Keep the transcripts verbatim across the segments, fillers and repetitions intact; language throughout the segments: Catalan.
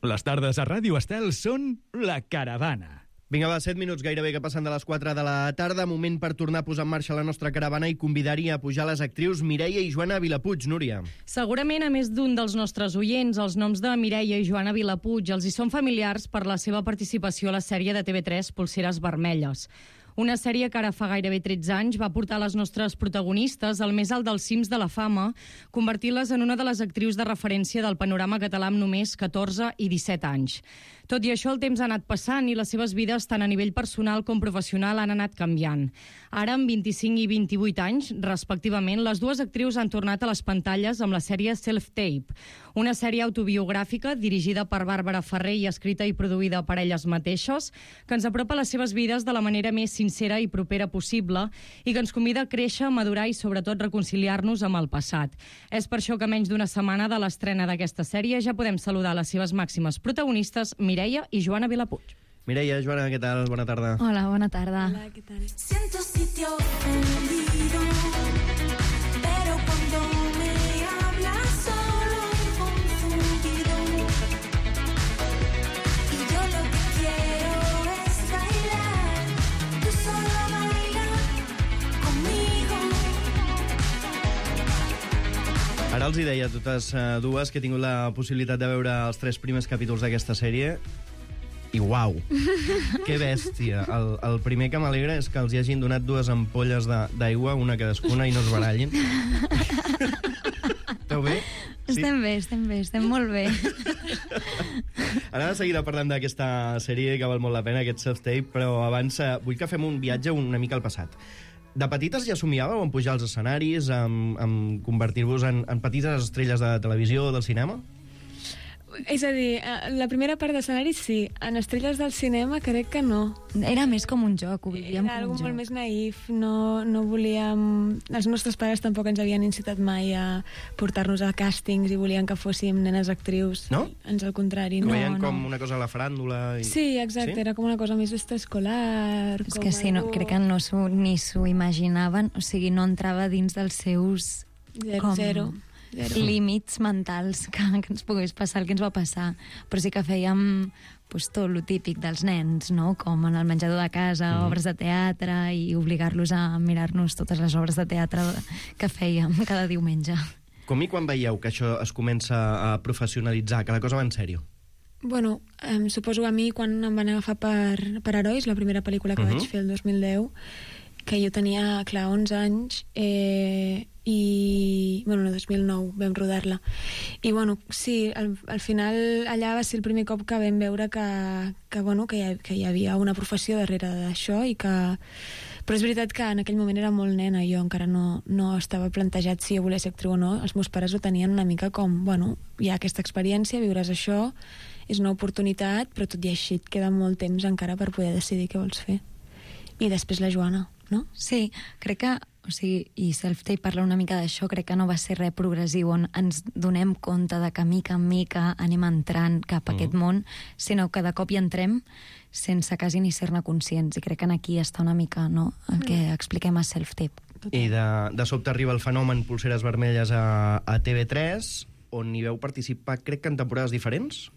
Les tardes a Ràdio Estel són La Caravana. Vinga, va, set minuts gairebé que passen de les quatre de la tarda. Moment per tornar a posar en marxa la nostra caravana i convidar-hi a pujar les actrius Mireia i Joana Vilapuig. Núria. Segurament a més d'un dels nostres oients, els noms de Mireia i Joana Vilapuig els hi són familiars per la seva participació a la sèrie de T V tres Polseres Vermelles. Una sèrie que ara fa gairebé tretze anys va portar les nostres protagonistes al més alt dels cims de la fama, convertint-les en una de les actrius de referència del panorama català amb només catorze i disset anys. Tot i això, el temps ha anat passant i les seves vides, tant a nivell personal com professional, han anat canviant. Ara, amb vint-i-cinc i vint-i-vuit anys, respectivament, les dues actrius han tornat a les pantalles amb la sèrie Self-Tape, una sèrie autobiogràfica dirigida per Bàrbara Ferrer i escrita i produïda per elles mateixes, que ens apropa les seves vides de la manera més sincera i propera possible i que ens convida a créixer, madurar i, sobretot, reconciliar-nos amb el passat. És per això que menys d'una setmana de l'estrena d'aquesta sèrie ja podem saludar les seves màximes protagonistes, Mireia i Joana Vilapuig. Mireia, Joana, què tal? Bona tarda. Hola, bona tarda. Hola, què tal? Siento sitio ofendido, pero cuando me hablas solo confundido, y yo lo que quiero es bailar, tú solo baila conmigo. Ara els hi deia a totes uh, dues que he tingut la possibilitat de veure els tres primers capítols d'aquesta sèrie i uau, que bèstia. El, el primer que m'alegra és que els hi hagin donat dues ampolles d'aigua, una cadascuna, i no es barallin. Esteu bé? Sí? Estem bé, estem bé, estem molt bé. Ara de seguida parlem d'aquesta sèrie que val molt la pena, aquest Self-Tape, però abans uh, vull que fem un viatge una mica al passat. De petites ja somiàveu en pujar als escenaris, en, en convertir-vos en, en petites estrelles de televisió o del cinema? És a dir, la primera part d'escenari sí, en estrelles del cinema crec que no. Era més com un joc, ho vivíem Era com algo un joc. molt més naïf, no, no volíem... Els nostres pares tampoc ens havien incitat mai a portar-nos a càstings i volien que fóssim nenes actrius. No? Ens al contrari. Ho No, veien no. com una cosa a la faràndula? I... Sí, exacte, sí? era com una cosa més extraescolar. És com que sí, no, algo- crec que no s'ho, ni s'ho imaginaven, o sigui, no entrava dins dels seus Zero, com zero. Zero. límits mentals que, que ens pogués passar el que ens va passar. Però sí que fèiem pues, tot lo típic dels nens, no? Com en el menjador de casa, mm. obres de teatre, i obligar-los a mirar-nos totes les obres de teatre que fèiem cada diumenge. Com i quan veieu que això es comença a professionalitzar, que la cosa va en sèrio? Bueno, em suposo a mi quan em van agafar per, per Herois, la primera pel·lícula que Uh-huh. vaig fer el dos mil deu, que jo tenia, clar, onze anys, eh, i... Bueno, no, dos mil nou vam rodar-la. I, bueno, sí, al, al final allà va ser el primer cop que vam veure que, que, bueno, que, hi, ha- que hi havia una professió darrere d'això i que... Però és veritat que en aquell moment era molt nena, jo encara no, no estava plantejat si jo volia ser actriu o no. Els meus pares ho tenien una mica com, bueno, hi ha aquesta experiència, viuràs això, és una oportunitat, però tot i així et queda molt temps encara per poder decidir què vols fer. I després la Joana, no? Sí, crec que, o sigui, i Self-Tape parla una mica d'això, crec que no va ser res progressiu on ens donem compte de que mica en mica anem entrant cap a Mm. aquest món, sinó que de cop hi entrem sense quasi ni ser-ne conscients, i crec que aquí està una mica, no?, el que expliquem a Self-Tape. I de, de sobte arriba el fenomen Polseres Vermelles a, a T V tres, on hi veu participar, crec que en temporades diferents,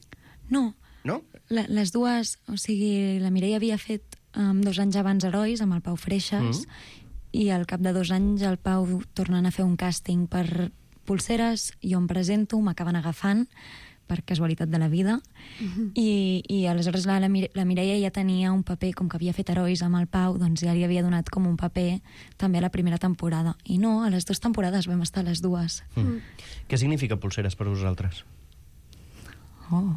No, no? la, les dues, o sigui, la Mireia havia fet um, dos anys abans Herois, amb el Pau Freixas, Mm. i al cap de dos anys el Pau tornant a fer un càsting per Polseres, jo em presento, m'acaben agafant per casualitat de la vida, Mhm. i, i aleshores la, la, Mire- la Mireia ja tenia un paper, com que havia fet Herois amb el Pau, doncs ja li havia donat com un paper també a la primera temporada. I no, a les dues temporades vam estar les dues. Mm. Què significa Polseres per vosaltres? Oh.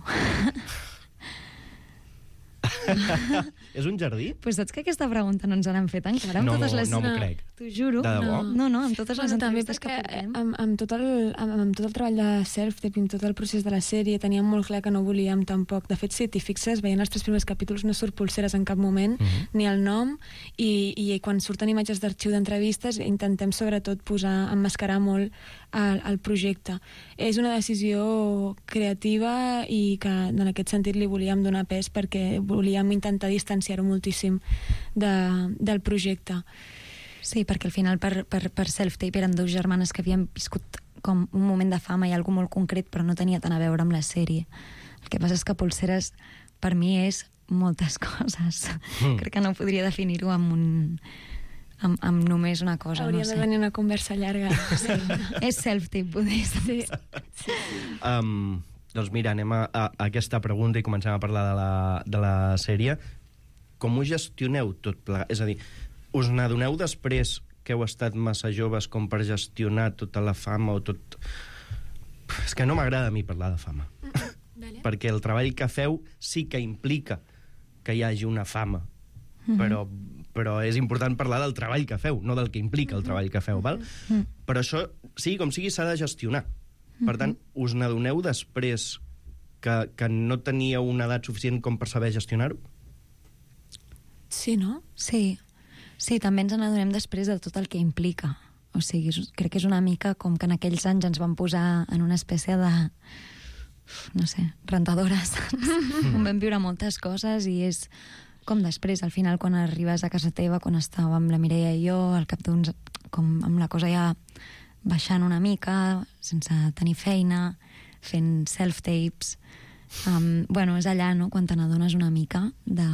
És un jardí? Pues saps que aquesta pregunta no ens l'han fet encara amb No totes m'ho- les... no m'ho crec. T'ho juro. De debò? No, no, no, amb totes les Bueno, també entrevistes que perquè portem. amb, amb, tot el, amb, amb tot el treball de Self-Tape i amb tot el procés de la sèrie teníem molt clar que no volíem tampoc. De fet, si t'hi fixes, veient els tres primers capítols no surt Polseres en cap moment, Mhm. ni el nom, i, i quan surten imatges d'arxiu d'entrevistes intentem sobretot posar, emmascarar molt el, el projecte. És una decisió creativa i que en aquest sentit li volíem donar pes perquè volíem intentar distanciar-ho moltíssim de, del projecte. Sí, perquè al final per, per, per Self-Tape eren dues germanes que havien viscut com un moment de fama i algo molt concret, però no tenia tant a veure amb la sèrie. El que passa és que polseres per mi és moltes coses. Mm. Crec que no podria definir-ho amb un... Amb, amb només una cosa, Hauria no sé. de venir una conversa llarga. Sí. És self-tape, poder. Sí. Um, doncs mira, anem a, a, a aquesta pregunta i comencem a parlar de la, de la sèrie. Com ho gestioneu tot plegat? És a dir, us n'adoneu després que heu estat massa joves com per gestionar tota la fama o tot... És que no m'agrada a mi parlar de fama. Vale. Perquè el treball que feu sí que implica que hi hagi una fama. Mm-hmm. però, però és important parlar del treball que feu, no del que implica el treball que feu, val? Mm-hmm. Però això, sigui com sigui, s'ha de gestionar. Per tant, us n'adoneu després que, que no teníeu una edat suficient com per saber gestionar-ho? Sí, no? Sí, sí, també ens n'adonem després de tot el que implica. O sigui, és- crec que és una mica com que en aquells anys ens van posar en una espècie de, no sé, rentadores. On vam viure moltes coses i és com després, al final, quan arribes a casa teva, quan estàvem la Mireia i jo, al cap d'uns... com amb la cosa ja baixant una mica, sense tenir feina, fent self-tapes. Um, bueno, és allà, no?, quan te n'adones una mica de,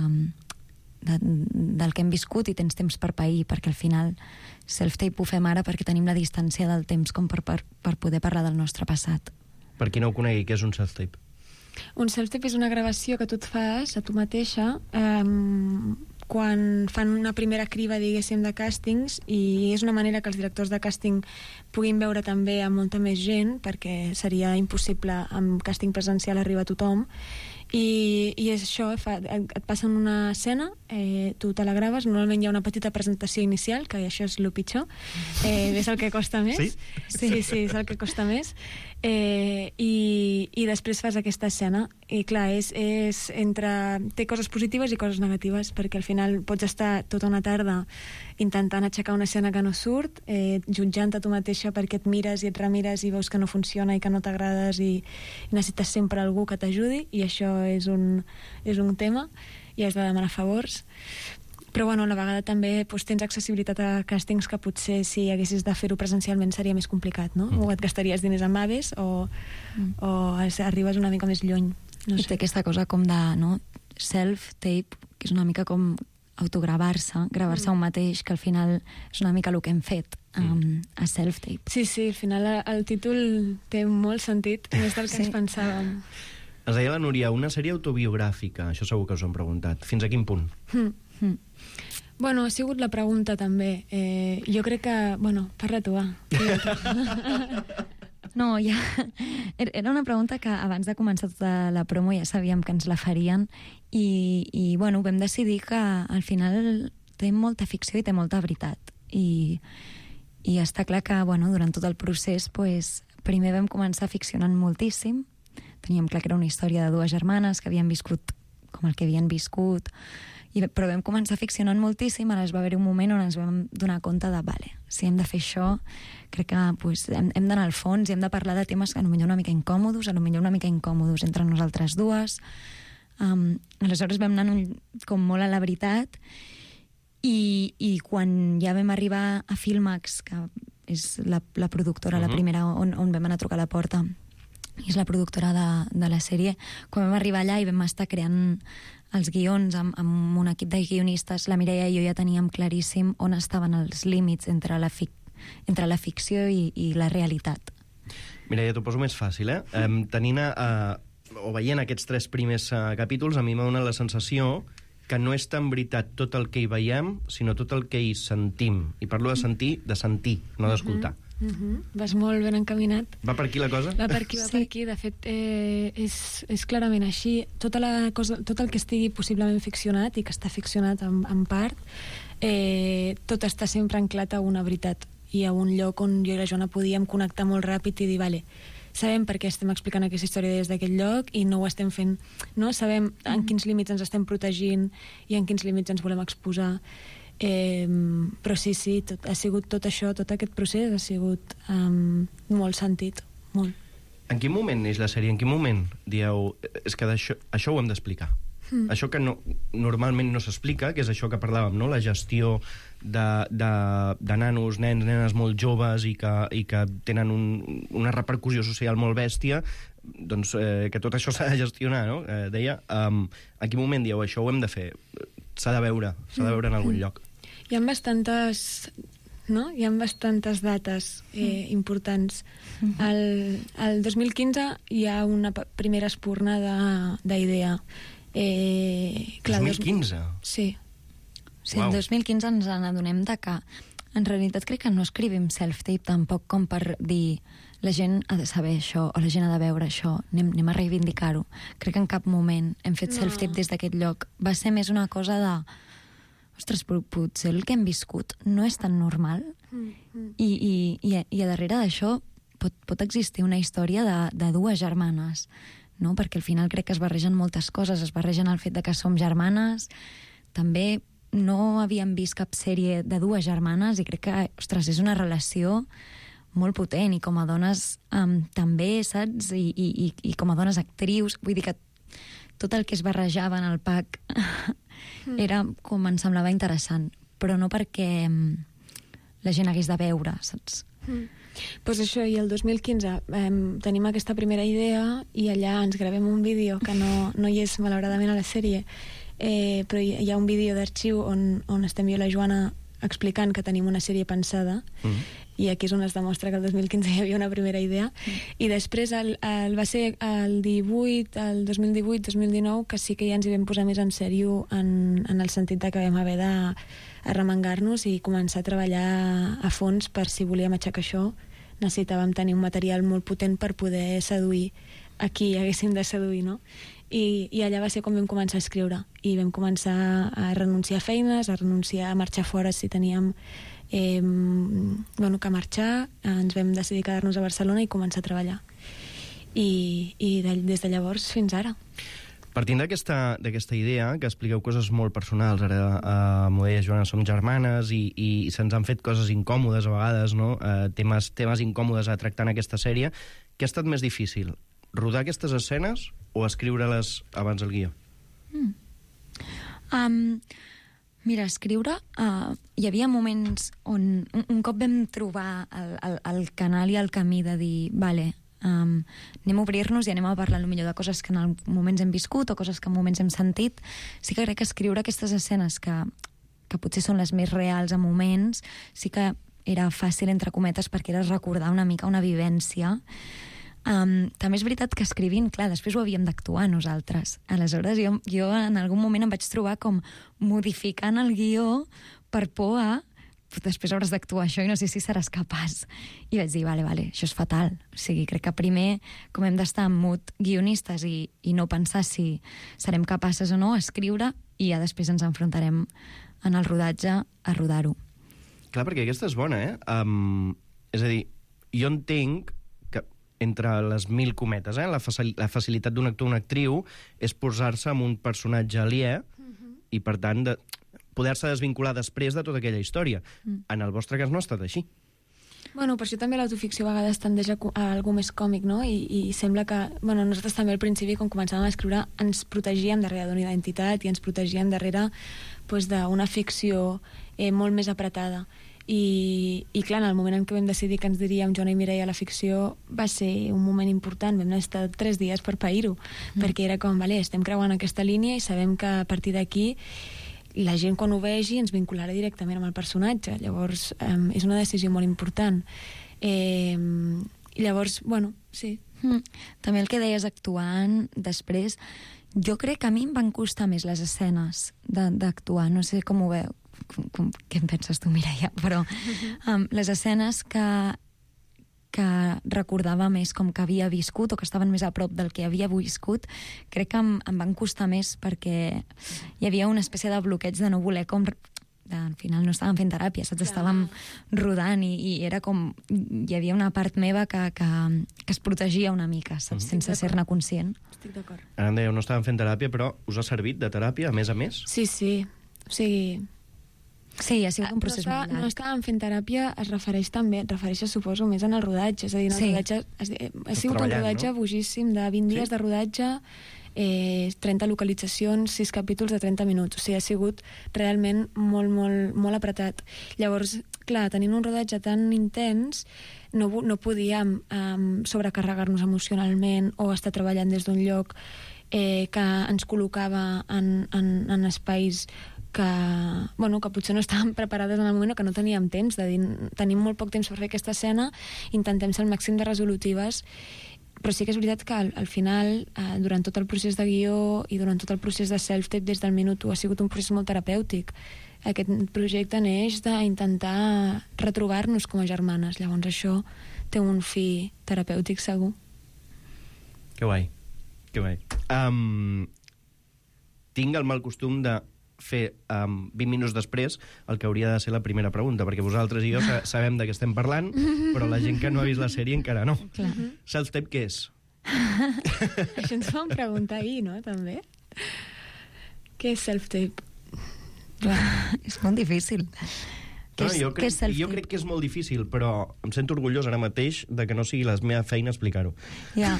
de, del que hem viscut i tens temps per pair, perquè al final self-tape ho fem ara perquè tenim la distància del temps com per, per, per poder parlar del nostre passat. Per qui no ho conegui, què és un self-tape? Un self-tape és una gravació que tu et fas a tu mateixa um, quan fan una primera criba, diguéssim, de càstings, i és una manera que els directors de càsting puguin veure també a molta més gent, perquè seria impossible amb càsting presencial arribar a tothom. I, i és això, fa, et, et passen una escena, eh, tu te la graves, normalment hi ha una petita presentació inicial, que això és el pitjor, eh, és el que costa més. Sí? Sí, sí, és el que costa més. Eh, i, i després fas aquesta escena. I clar, és, és entre... té coses positives i coses negatives, perquè al final pots estar tota una tarda intentant aixecar una escena que no surt, eh, jutjant a tu mateixa perquè et mires i et remires i veus que no funciona i que no t'agrades i, i necessites sempre algú que t'ajudi, i això és un, és un tema i has de demanar favors. Però bueno, a la vegada també doncs, tens accessibilitat a càstings que potser si haguessis de fer-ho presencialment seria més complicat, no? Mm. O et gastaries diners en aves o, mm. o arribes una mica més lluny. No I sé. té aquesta cosa com de, no, self-tape, que és una mica com autogravar-se, gravar-se mm. un mateix, que al final és una mica el que hem fet um, a self-tape. Sí, sí, al final el títol té molt sentit, més del que Sí. ens pensàvem. Ens deia la Núria, una sèrie autobiogràfica, això segur que us ho hem preguntat. Fins a quin punt? Mm. Mm. Bueno, ha sigut la pregunta també. Eh, jo crec que... Bueno, parla tu, va. No, ja... Era una pregunta que abans de començar tota la promo ja sabíem que ens la farien i, i bueno, vam decidir que al final té molta ficció i té molta veritat. I, i està clar que, bueno, durant tot el procés, pues, primer vam començar ficcionant moltíssim. Teníem clar que era una història de dues germanes que havien viscut com el que havien viscut, i, però vam començar ficcionant moltíssim. Ara va haver un moment on ens vam donar compte de, vale, si hem de fer això, crec que pues, hem, hem d'anar al fons i hem de parlar de temes que potser una mica incòmodos, potser una mica incòmodos entre nosaltres dues. Um, aleshores vam anar un, com molt a la veritat, i, i quan ja vam arribar a Filmax, que és la, la productora, uh-huh. la primera on, on vam anar a trucar a la porta, i és la productora de, de la sèrie, quan vam arribar allà i vam estar creant els guions amb, amb un equip de guionistes, la Mireia i jo ja teníem claríssim on estaven els límits entre la, fic entre la ficció i, i la realitat. Mireia, t'ho poso més fàcil, eh? Um, tenint a, a, o veient aquests tres primers uh, capítols, a mi m'ha donat la sensació que no és tan veritat tot el que hi veiem, sinó tot el que hi sentim. I parlo de sentir, de sentir, no d'escoltar. Mm-hmm. Mm-hmm. Vas molt ben encaminat. Va per aquí la cosa? Va per aquí, va Sí. per aquí. De fet, eh, és, és clarament així. Tota la cosa, tot el que estigui possiblement ficcionat i que està ficcionat en, en part, eh, tot està sempre anclat a una veritat i a un lloc on jo i la Joana podíem connectar molt ràpid i dir, vale, sabem per què estem explicant aquesta història des d'aquest lloc i no ho estem fent, no? Sabem en quins límits ens estem protegint i en quins límits ens volem exposar. Eh, però sí, sí, tot, ha sigut tot això, tot aquest procés ha sigut um, molt sentit, molt. En quin moment neix la sèrie? En quin moment dieu, és que això, això ho hem d'explicar? Mm. Això que no, normalment no s'explica, que és això que parlàvem, no? La gestió de, de, de nanos, nens, nenes molt joves i que, i que tenen un, una repercussió social molt bèstia, doncs, eh, que tot això s'ha de gestionar, no? Eh, deia, um, en quin moment dieu, això ho hem de fer? S'ha de veure, s'ha de veure en algun lloc. Hi ha bastantes... No? Hi ha bastantes dates eh, importants. El, el dos mil quinze hi ha una pa- primera espurna de- d'idea. Eh, dos mil quinze? Sí. Sí, Uau. el dos mil quinze ens n'adonem de que en realitat crec que no escrivim self-tape tampoc com per dir la gent ha de saber això o la gent ha de veure això, anem, anem a reivindicar-ho. Crec que en cap moment hem fet No. self-tape des d'aquest lloc. Va ser més una cosa de ostres, però potser el que hem viscut no és tan normal Mm-hmm. i, i, i, a- i a darrere d'això pot, pot existir una història de, de dues germanes, no? Perquè al final crec que es barregen moltes coses, es barregen el fet de que som germanes, també no havíem vist cap sèrie de dues germanes i crec que, ostres, és una relació molt potent i com a dones um, també, saps? I, i, i, i com a dones actrius, vull dir que tot el que es barrejava en el pack era com em semblava interessant, però no perquè um, la gent hagués de veure, saps? Mm. Pues això, i el dos mil quinze eh, tenim aquesta primera idea i allà ens gravem un vídeo que no, no hi és malauradament a la sèrie, eh, però hi, hi ha un vídeo d'arxiu on, on estem jo i la Joana explicant que tenim una sèrie pensada Mm. i aquí és on es demostra que el dos mil quinze hi havia una primera idea i després el, el, va ser el divuit, el dos mil divuit dos mil dinou que sí que ja ens hi vam posar més en sèrio en, en el sentit de que vam haver de arremangar-nos i començar a treballar a fons per si volíem aixecar això necessitàvem tenir un material molt potent per poder seduir a qui haguéssim de seduir, no? I, i allà va ser quan vam començar a escriure i vam començar a renunciar a feines, a renunciar a marxar fora si teníem eh, bueno, que marxar, ens vam decidir quedar-nos a Barcelona i començar a treballar i, i de, des de llavors fins ara. Partint d'aquesta d'aquesta idea, que expliqueu coses molt personals, ara a Modella i Joana som germanes i, i se'ns han fet coses incòmodes a vegades, no? Eh, temes, temes incòmodes a tractar en aquesta sèrie, què ha estat més difícil? Rodar aquestes escenes o escriure-les abans del guió? Mm. Um, mira, escriure... Uh, hi havia moments on un, un cop vam trobar el, el, el canal i el camí de dir, vale, um, anem a obrir-nos i anem a parlar millor de coses que en moments hem viscut o coses que en moments hem sentit. Sí que crec que escriure aquestes escenes que, que potser són les més reals a moments, sí que era fàcil, entre cometes, perquè era recordar una mica una vivència. Um, també és veritat que escrivint, clar, després ho havíem d'actuar nosaltres. Aleshores, jo, jo en algun moment em vaig trobar com modificant el guió per por a després hauràs d'actuar això i no sé si seràs capaç. I vaig dir, vale, vale, això és fatal. O sigui, crec que primer, com hem d'estar en mood guionistes i, i no pensar si serem capaces o no, escriure, i ja després ens enfrontarem en el rodatge a rodar-ho. Clar, perquè aquesta és bona, eh? Um, és a dir, jo entenc que entre les mil cometes, eh, la, facil la facilitat d'un actor o una actriu és posar-se en un personatge aliè uh-huh. i, per tant, de poder-se desvincular després de tota aquella història. Mm. En el vostre cas no ha estat així. Bueno, per això també l'autoficció a vegades tendeix a, a algo més còmic, no? I, i sembla que... Bueno, nosaltres també al principi, quan començàvem a escriure, ens protegíem darrere d'una identitat i ens protegíem darrere pues, d'una ficció eh, molt més apretada. I, i clar, en el moment en què vam decidir que ens diríem Joana i Mireia a la ficció va ser un moment important, vam estar tres dies per pair-ho, mm. perquè era com, vale, estem creuant aquesta línia i sabem que a partir d'aquí la gent quan ho vegi ens vincularà directament amb el personatge, llavors eh, és una decisió molt important. Eh, i llavors, bueno, sí. Mm. També el que deies actuant després, jo crec que a mi em van costar més les escenes d'actuar, no sé com ho veu, com, com, què en penses tu, Mireia, però um, les escenes que que recordava més com que havia viscut o que estaven més a prop del que havia viscut, crec que em, em van costar més perquè hi havia una espècie de bloqueig de no voler com... De, al final no estàvem fent teràpia, saps? Estàvem rodant i, i era com... Hi havia una part meva que, que, que es protegia una mica, saps? Mm-hmm. Sense ser-ne conscient. Estic d'acord. Ara em dèieu, no estàvem fent teràpia, però us ha servit de teràpia, a més a més? Sí, sí. O sigui... Sí, ha sigut un procés no, molt llarg. No estàvem fent teràpia, es refereix també, es refereix, suposo, més en el rodatge. És a dir, en el Sí. rodatge, ha sigut un treballant, rodatge no? bojíssim, de vint Sí? dies de rodatge, eh, trenta localitzacions, sis capítols de trenta minuts. O sigui, ha sigut realment molt, molt, molt apretat. Llavors, clar, tenint un rodatge tan intens, no, no podíem um, sobrecarregar-nos emocionalment o estar treballant des d'un lloc eh, que ens col·locava en, en, en espais que, bueno, que potser no estàvem preparades en el moment o que no teníem temps, de dir, tenim molt poc temps per fer aquesta escena, intentem ser el màxim de resolutives, però sí que és veritat que al, al final, eh, durant tot el procés de guió i durant tot el procés de self-tape des del minut u ha sigut un procés molt terapèutic. Aquest projecte neix d'intentar retrobar-nos com a germanes, llavors això té un fi terapèutic segur. Que guai, que guai. Um, tinc el mal costum de fer um, vint minuts després el que hauria de ser la primera pregunta, perquè vosaltres i jo sa sabem de què estem parlant, però la gent que no ha vist la sèrie encara no. Clar. Self-tape què és? Això ens vam preguntar ahir, no?, també. Què és self-tape? És molt difícil. Què No, és, jo, què crec, és self-tape? jo crec que és molt difícil, però em sento orgullós ara mateix de que no sigui la meva feina explicar-ho. Ja.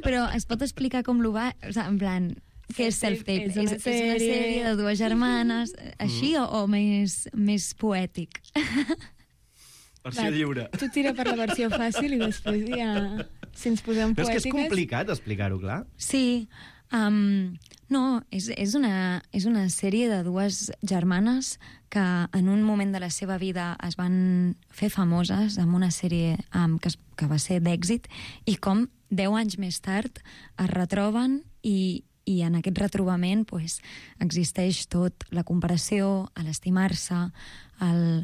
Però es pot explicar com lo va... O sigui, en plan, què és self-tape? És una És, és una sèrie- sèrie de dues germanes, així, o, o més, més poètic? Versió lliure. Tu tira per la versió fàcil i després ja, si ens posem Però és que és poètiques... complicat explicar-ho, clar. Sí, um, no, és, és, una, és una sèrie de dues germanes que en un moment de la seva vida es van fer famoses amb una sèrie um, que, es, que va ser d'èxit, i com deu anys més tard es retroben i, i en aquest retrobament pues, existeix tot, la comparació, l'estimar-se, el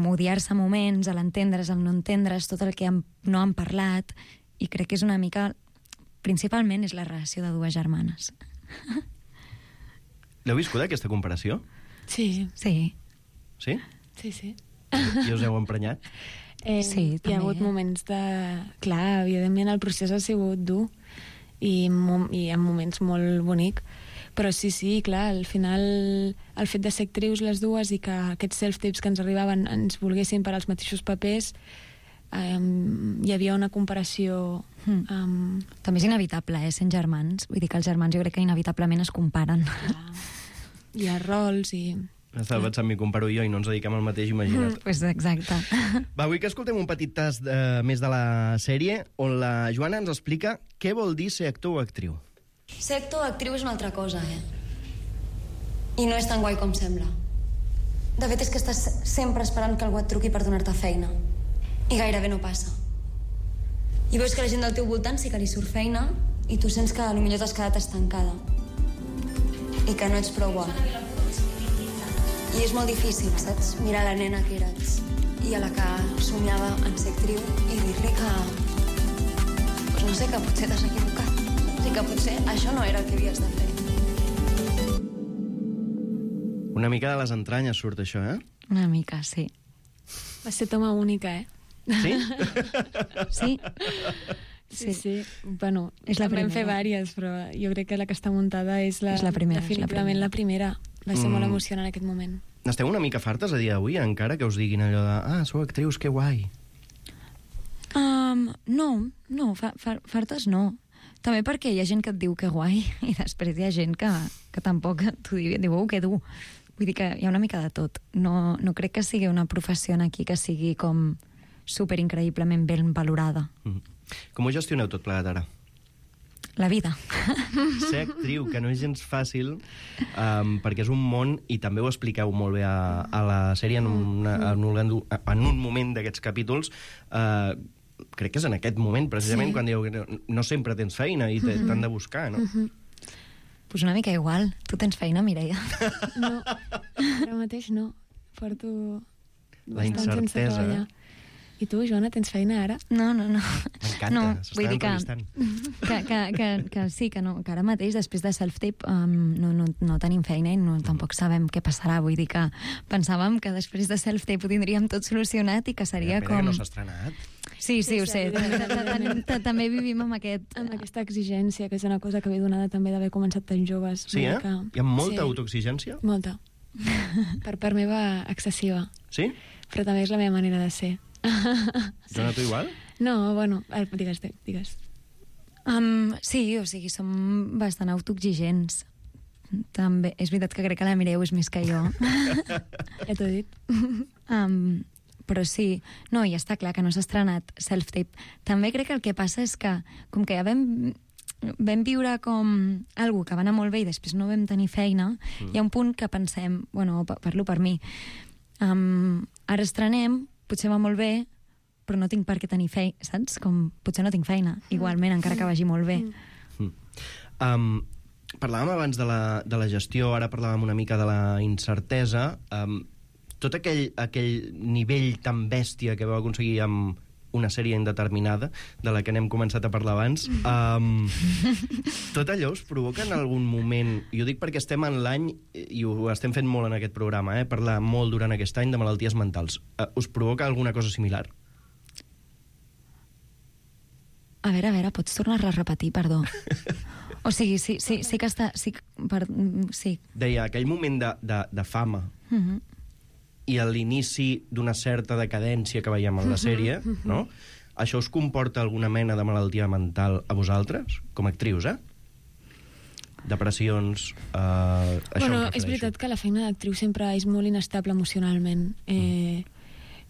odiar-se moments, l'entendre's, el no entendre's, tot el que han, no han parlat, i crec que és una mica... Principalment és la relació de dues germanes. L'heu viscut, aquesta comparació? Sí, Sí. Sí? sí, sí. I us heu emprenyat? Eh, Sí, hi també. ha hagut moments de... Clar, evidentment el procés ha sigut dur i, mo i en moments molt bonic, però sí, sí, clar, al final el fet de ser actrius les dues i que aquests self-tapes que ens arribaven ens volguessin per als mateixos papers, um, hi havia una comparació... Mm. Um, També és inevitable, eh, sent germans. Vull dir que els germans jo crec que inevitablement es comparen. hi ha rols i... Estava pensant, m'hi comparo jo i no ens dediquem al mateix, imagina't. Pues exacte. Va, vull que escoltem un petit tast eh, més de la sèrie on la Joana ens explica què vol dir ser actor o actriu. Ser actor o actriu és una altra cosa, eh? I no és tan guai com sembla. De fet, és que estàs sempre esperant que algú et truqui per donar-te feina. I gairebé no passa. I veus que la gent del teu voltant sí que li surt feina i tu sents que potser t'has quedat estancada. I que no ets prou bona. I és molt difícil, saps? Mirar la nena que eres i a la que somiava en ser actriu i dir-li que... Pues no sé, que potser t'has equivocat. O sigui que potser això no era el que havies de fer. Una mica de les entranyes surt això, eh? Una mica, sí. Va ser toma única, eh? Sí? Sí? Sí, sí. Bueno, És la en vam fer primera. vàries, però jo crec que la que està muntada és la, És la primera, és la definitivament primera. la primera. Va ser Mm. molt emocionant aquest moment. N'esteu una mica fartes a dia d'avui, encara que us diguin allò de ah, sou actrius, que guai. Um, no, no, fa, fa, fartes no. També perquè hi ha gent que et diu que guai i després hi ha gent que, que tampoc t'ho diu, diu, oh, que dur. Vull dir que hi ha una mica de tot. No, no crec que sigui una professió aquí que sigui com superincreïblement ben valorada. Mm. Com ho gestioneu tot plegat ara? La vida. Ser actriu, que no és gens fàcil, um, perquè és un món, i també ho expliqueu molt bé a, a la sèrie, en, una, en, un, en un moment d'aquests capítols, uh, crec que és en aquest moment, precisament, Sí. quan dieu que no, no sempre tens feina i t'han de buscar, no? Pues una mica igual. Tu tens feina, Mireia? No, ara mateix no. Porto La bastant sense incertesa, treballar. I tu, Joana, tens feina ara? No, no, no. M'encanta, no, s'estan vull dir que, entrevistant. que, que, que, que sí, que, no, que ara mateix, després de self-tape, um, no, no, no tenim feina i no, tampoc sabem què passarà. Vull dir que pensàvem que després de self-tape ho tindríem tot solucionat i que seria Espera, com... que no s'ha estrenat. Sí, sí, Sí, ho sí, sé. evidentment. També vivim amb aquest... Amb aquesta exigència, que és una cosa que ve donada també d'haver començat tan joves. Sí, Vull eh? dir que- Hi ha molta sí, autoexigència? Molta. Per part meva, excessiva. Sí? Però també és la meva manera de ser. Joana, tu igual? No, bueno, ara, digues, digues. Um, sí, o sigui, som bastant autoexigents. També, és veritat que crec que la Mireu és més que jo. Ja t'ho he dit. Um, però sí, no, i està clar que no s'ha estrenat Self-Tape. També crec que el que passa és que, com que ja vam, vam viure com algú que va anar molt bé i després no vam tenir feina, mm. hi ha un punt que pensem, bueno, parlo per mi, um, ara estrenem, potser va molt bé, però no tinc per què tenir feina, saps? Com, potser no tinc feina, igualment, encara que vagi molt bé. Mm. Um, parlàvem abans de la, de la gestió, ara parlàvem una mica de la incertesa. Um, tot aquell, aquell nivell tan bèstia que vau aconseguir amb una sèrie indeterminada, de la que n'hem començat a parlar abans, um, tot allò us provoca en algun moment, i ho dic perquè estem en l'any, i ho estem fent molt en aquest programa, eh, parlar molt durant aquest any de malalties mentals, uh, us provoca alguna cosa similar? A veure, a veure, pots tornar a repetir, perdó. O sigui, sí, sí, sí que està... Sí, per, sí. Deia, aquell moment de, de, de fama, Uh-huh. i a l'inici d'una certa decadència que veiem en la sèrie, no? Això us comporta alguna mena de malaltia mental a vosaltres, com a actrius, eh? Depressions... Eh, això Bueno, em és refereixo. veritat que la feina d'actriu sempre és molt inestable emocionalment. Eh,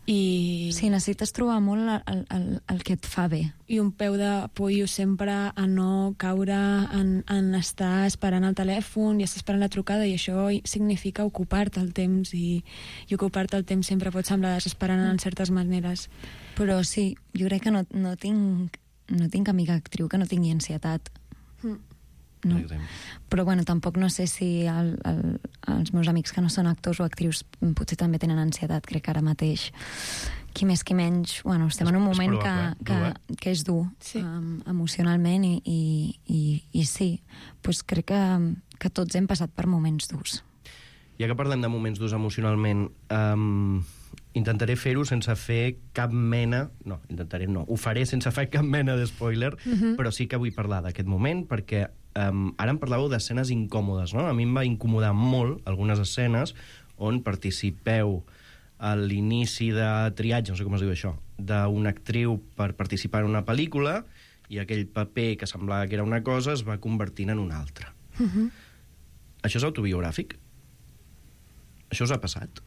i, Sí, necessites trobar molt el, el, el que et fa bé. I un peu de pollo sempre a no caure en, en estar esperant el telèfon i estar esperant la trucada, i això significa ocupar-te el temps, i, i ocupar-te el temps sempre pot semblar desesperant en certes maneres. Però sí, jo crec que no, no, tinc, no tinc amiga actriu que no tingui ansietat. No. Exacte. Però bueno, tampoc no sé si el, el, els meus amics que no són actors o actrius potser també tenen ansietat, crec que ara mateix. Qui més, qui menys... Bueno, estem És- en un és moment que, probable, que, dur, eh? que és dur, Sí. um, emocionalment, i, i, i, i sí, pues crec que, que tots hem passat per moments durs. Ja que parlem de moments durs emocionalment, um, intentaré fer-ho sense fer cap mena... No, intentaré no. Ho faré sense fer cap mena de spoiler, Mhm. però sí que vull parlar d'aquest moment, perquè um, ara em parlàveu d'escenes incòmodes, no? A mi em va incomodar molt algunes escenes on participeu a l'inici de triatge, no sé com es diu això, d'una actriu per participar en una pel·lícula, i aquell paper que semblava que era una cosa es va convertint en una altra. Mhm. Això és autobiogràfic? Això us ha passat?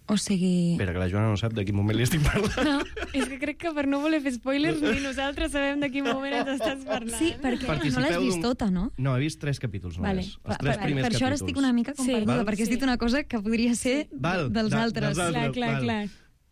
O sigui... Espera, que la Joana no sap de quin moment li estic parlant. No, és que crec que per no voler fer spoilers ni nosaltres sabem de quin moment ens estàs parlant. Sí, perquè no Participeu l'has vist d'un- tota, no? No, he vist tres capítols només. Vale. Els Per, tres per, primers per això ara capítols. estic una mica com Sí. perduda, Val? perquè has Sí. dit una cosa que podria ser Val, dels de- altres. dels altres. Clar, clar, val. clar.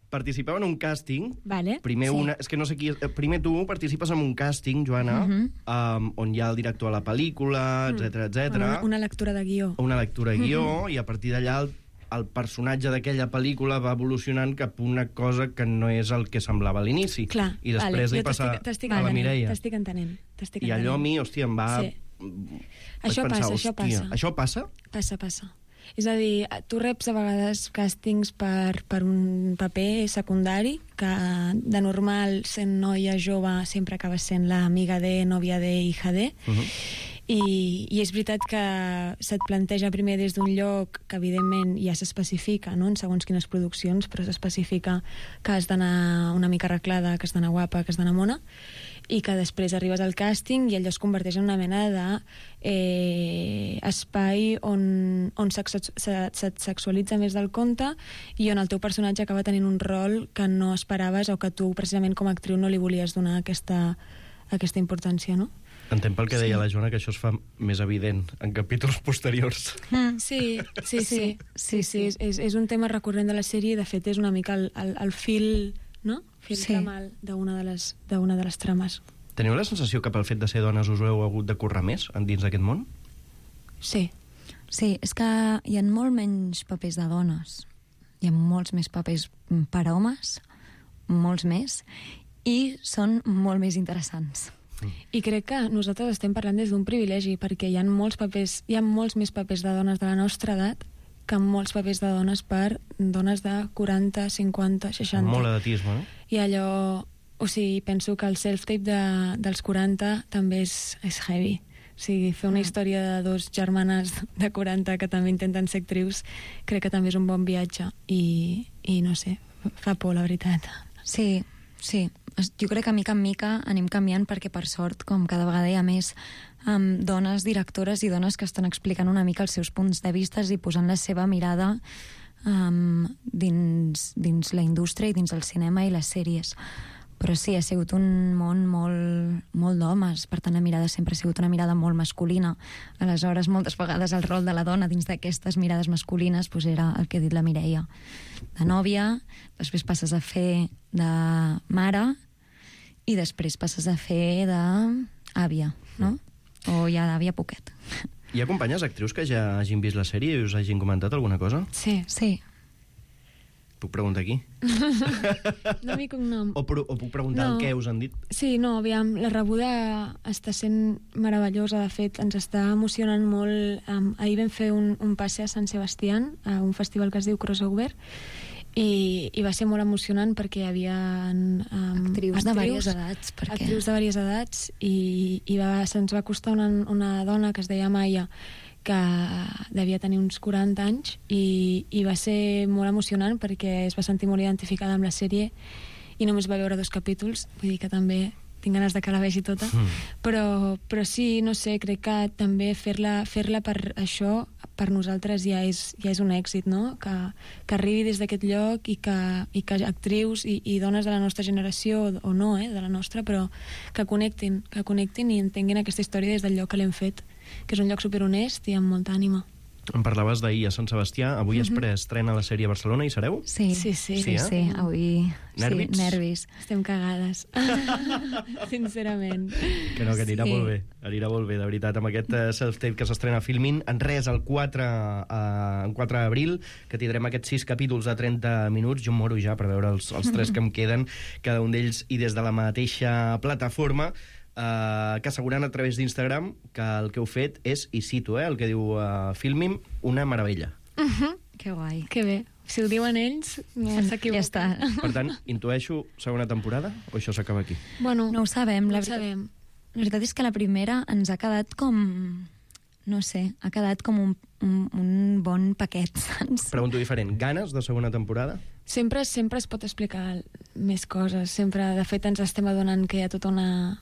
Participeu en un càsting. Vale. Primer, Sí. una, és que no sé qui... és- Primer tu participes en un càsting, Joana, Mhm. um, on hi ha el director de la pel·lícula, etcètera, etcètera. Una, una lectura de guió. una lectura de guió, i a partir d'allà el, el personatge d'aquella pel·lícula va evolucionant cap a una cosa que no és el que semblava a l'inici. Clar, I després vale. li Jo passa t'estic- t'estic a la entenent, Mireia. T'estic entenent. T'estic I allò a entenent. mi, hòstia, em va... Sí. Vaig Això pensar, passa, això hòstia, passa. Això passa? Passa, passa. És a dir, tu reps a vegades càstings per, per un paper secundari, que de normal, sent noia jove, sempre acaba sent l'amiga de, nòvia de, hija de, Uh -huh. i, i és veritat que se't planteja primer des d'un lloc que evidentment ja s'especifica, no?, en segons quines produccions, però s'especifica que has d'anar una mica arreglada, que has d'anar guapa, que has d'anar mona, i que després arribes al càsting i allò es converteix en una mena de eh, espai on, on se't se, se sexualitza més del compte, i on el teu personatge acaba tenint un rol que no esperaves, o que tu precisament com a actriu no li volies donar aquesta, aquesta importància, no? Entenc pel que deia la Joana que això es fa més evident en capítols posteriors. Mm. Sí, sí, sí. Sí, sí, sí. És, és, és un tema recurrent de la sèrie, i de fet és una mica el, el, el fil, no? Fil Sí. tramal d'una de, les, d'una de les trames. Teniu la sensació que pel fet de ser dones us heu hagut de currar més dins d'aquest món? Sí. Sí, és que hi ha molt menys papers de dones. Hi ha molts més papers per a homes, molts més, i són molt més interessants. I crec que nosaltres estem parlant des d'un privilegi, perquè hi ha molts papers, hi ha molts més papers de dones de la nostra edat que molts papers de dones per dones de quaranta, cinquanta, seixanta. Molt edatisme, no? I allò... O sigui, penso que el self-tape de, dels quaranta també és, és heavy. O sigui, fer una història de dos germanes de quaranta que també intenten ser actrius, crec que també és un bon viatge. I, i no sé, fa por, la veritat. Sí, sí. es- jo crec que mica en mica anem canviant perquè, per sort, com cada vegada hi ha més um, dones directores i dones que estan explicant una mica els seus punts de vista i posant la seva mirada um, dins, dins la indústria i dins el cinema i les sèries. Però sí, ha sigut un món molt, molt d'homes, per tant la mirada sempre ha sigut una mirada molt masculina. Aleshores, moltes vegades el rol de la dona dins d'aquestes mirades masculines pues, era el que ha dit la Mireia, de nòvia, després passes a fer de mare i després passes a fer d'àvia, no? O ja d'àvia poquet. Hi ha companyes actrius que ja hagin vist la sèrie i us hagin comentat alguna cosa? Sí. Sí. Puc preguntar aquí? Nom i cognom. O, pro, o puc preguntar No. el què us han dit? Sí, no, aviam, la rebuda està sent meravellosa, de fet, ens està emocionant molt. Um, ahir vam fer un, un passe a Sant Sebastián, a un festival que es diu Crossover, i, i va ser molt emocionant perquè hi havia um, Actrius de diverses edats, perquè- actrius de diverses edats, i, i va, se'ns va costar una, una dona que es deia Maia, que devia tenir uns quaranta anys, i, i va ser molt emocionant perquè es va sentir molt identificada amb la sèrie i només va veure dos capítols, vull dir que també tinc ganes de que la vegi tota, Mm. però, però sí, no sé, crec que també fer-la fer-la per això, per nosaltres ja és, ja és un èxit, no? Que, que arribi des d'aquest lloc i que, i que actrius i, i dones de la nostra generació, o, o no, eh, de la nostra, però que connectin, que connectin i entenguin aquesta història des del lloc que l'hem fet, que és un lloc superhonest i amb molta ànima. Em parlaves d'ahir a Sant Sebastià. Avui es preestrena la sèrie a Barcelona i sereu? Sí, Sí, sí. sí, Sí, eh? sí, avui... Nervis? Sí, nervis. Estem cagades. Sincerament. Que no, que anirà Sí. molt bé. Anirà molt bé, de veritat, amb aquest eh, self-tape que s'estrena a Filmin. En res, el quatre, eh, el quatre d'abril, que tindrem aquests sis capítols de trenta minuts. Jo em moro ja per veure els, els tres que em queden, cada un d'ells, i des de la mateixa plataforma, eh, que assegurant a través d'Instagram que el que heu fet és, i cito, eh, el que diu eh, Filmin, una meravella. Que guai. Que bé. Si ho diuen ells, no Ja s'equivoquen. està. Per tant, intueixo segona temporada o això s'acaba aquí? Bueno, No ho sabem. no La ho veritat, sabem. la veritat és que la primera ens ha quedat com... No sé, ha quedat com un, un, un bon paquet, saps? Pregunto diferent. Ganes de segona temporada? Sempre, sempre es pot explicar més coses. Sempre, de fet, ens estem adonant que hi ha tota una...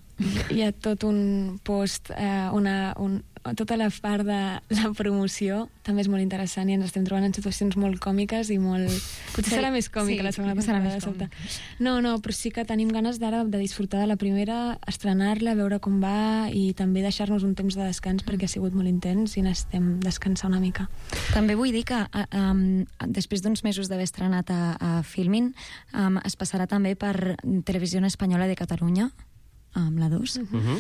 Hi ha tot un post, eh, una, un, tota la part de la promoció també és molt interessant i ens estem trobant en situacions molt còmiques i molt... Potser Sí, serà més còmica sí, la segona serà temporada, més de sobte. No, no, però sí que tenim ganes d'ara de disfrutar de la primera, estrenar-la, veure com va i també deixar-nos un temps de descans perquè ha sigut molt intens i necessitem descansar una mica. També vull dir que a- um, després d'uns mesos d'haver estrenat a, a Filmin, um, es passarà també per Televisió Espanyola de Catalunya, amb la dos, Uh -huh.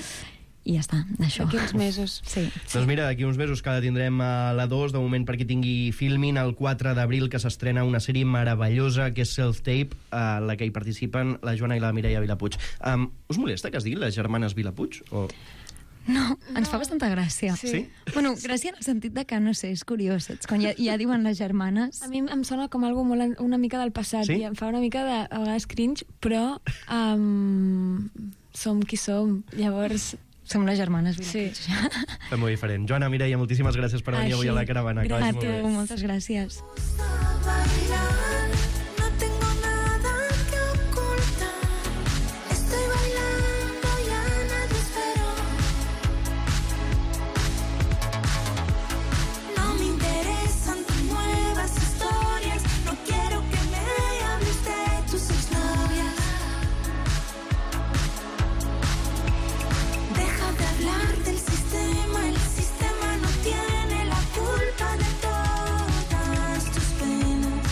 i ja està, això. D'aquí uns mesos. Sí. Doncs mira, d'aquí uns mesos que la tindrem a la dos, de moment perquè tingui Filmin, el quatre d'abril, que s'estrena una sèrie meravellosa, que és Self-Tape, a la que hi participen la Joana i la Mireia Vilapuig. Um, us molesta que es digui les germanes Vilapuig? O... No, ens fa bastanta gràcia. Sí. Sí? Bueno, gràcia en el sentit de que, no sé, és curiós, saps? Quan ja, ja diuen les germanes... A mi em sona com algo molt, an- una mica del passat Sí? i em fa una mica de, a vegades, cringe, però um, som qui som. Llavors, Som les germanes sí. Vilapuig. Fem molt diferent. Joana, Mireia, moltíssimes gràcies per venir Així. avui a la caravana. Que vagi A molt tu, bé. moltes gràcies. Bailar, no tengo nada que ocultar. Estoy bailando, ya nadie esperó. No me interesan tus nuevas historias. No quiero que me hables de tus exnovias. Deja de hablar del sistema. El sistema no tiene la culpa de todas tus penas.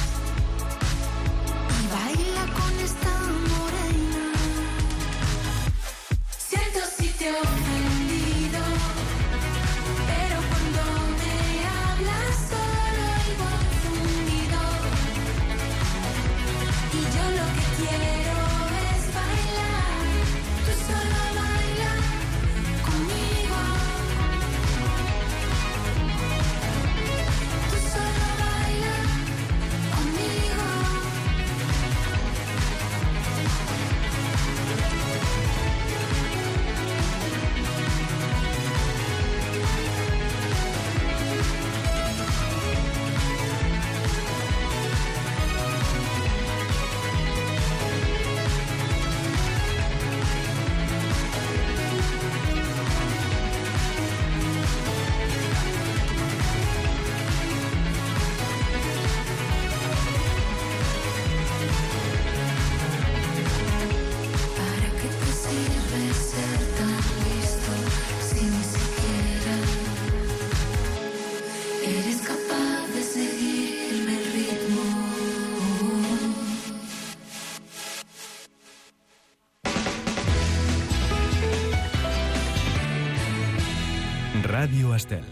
Ràdio Estel.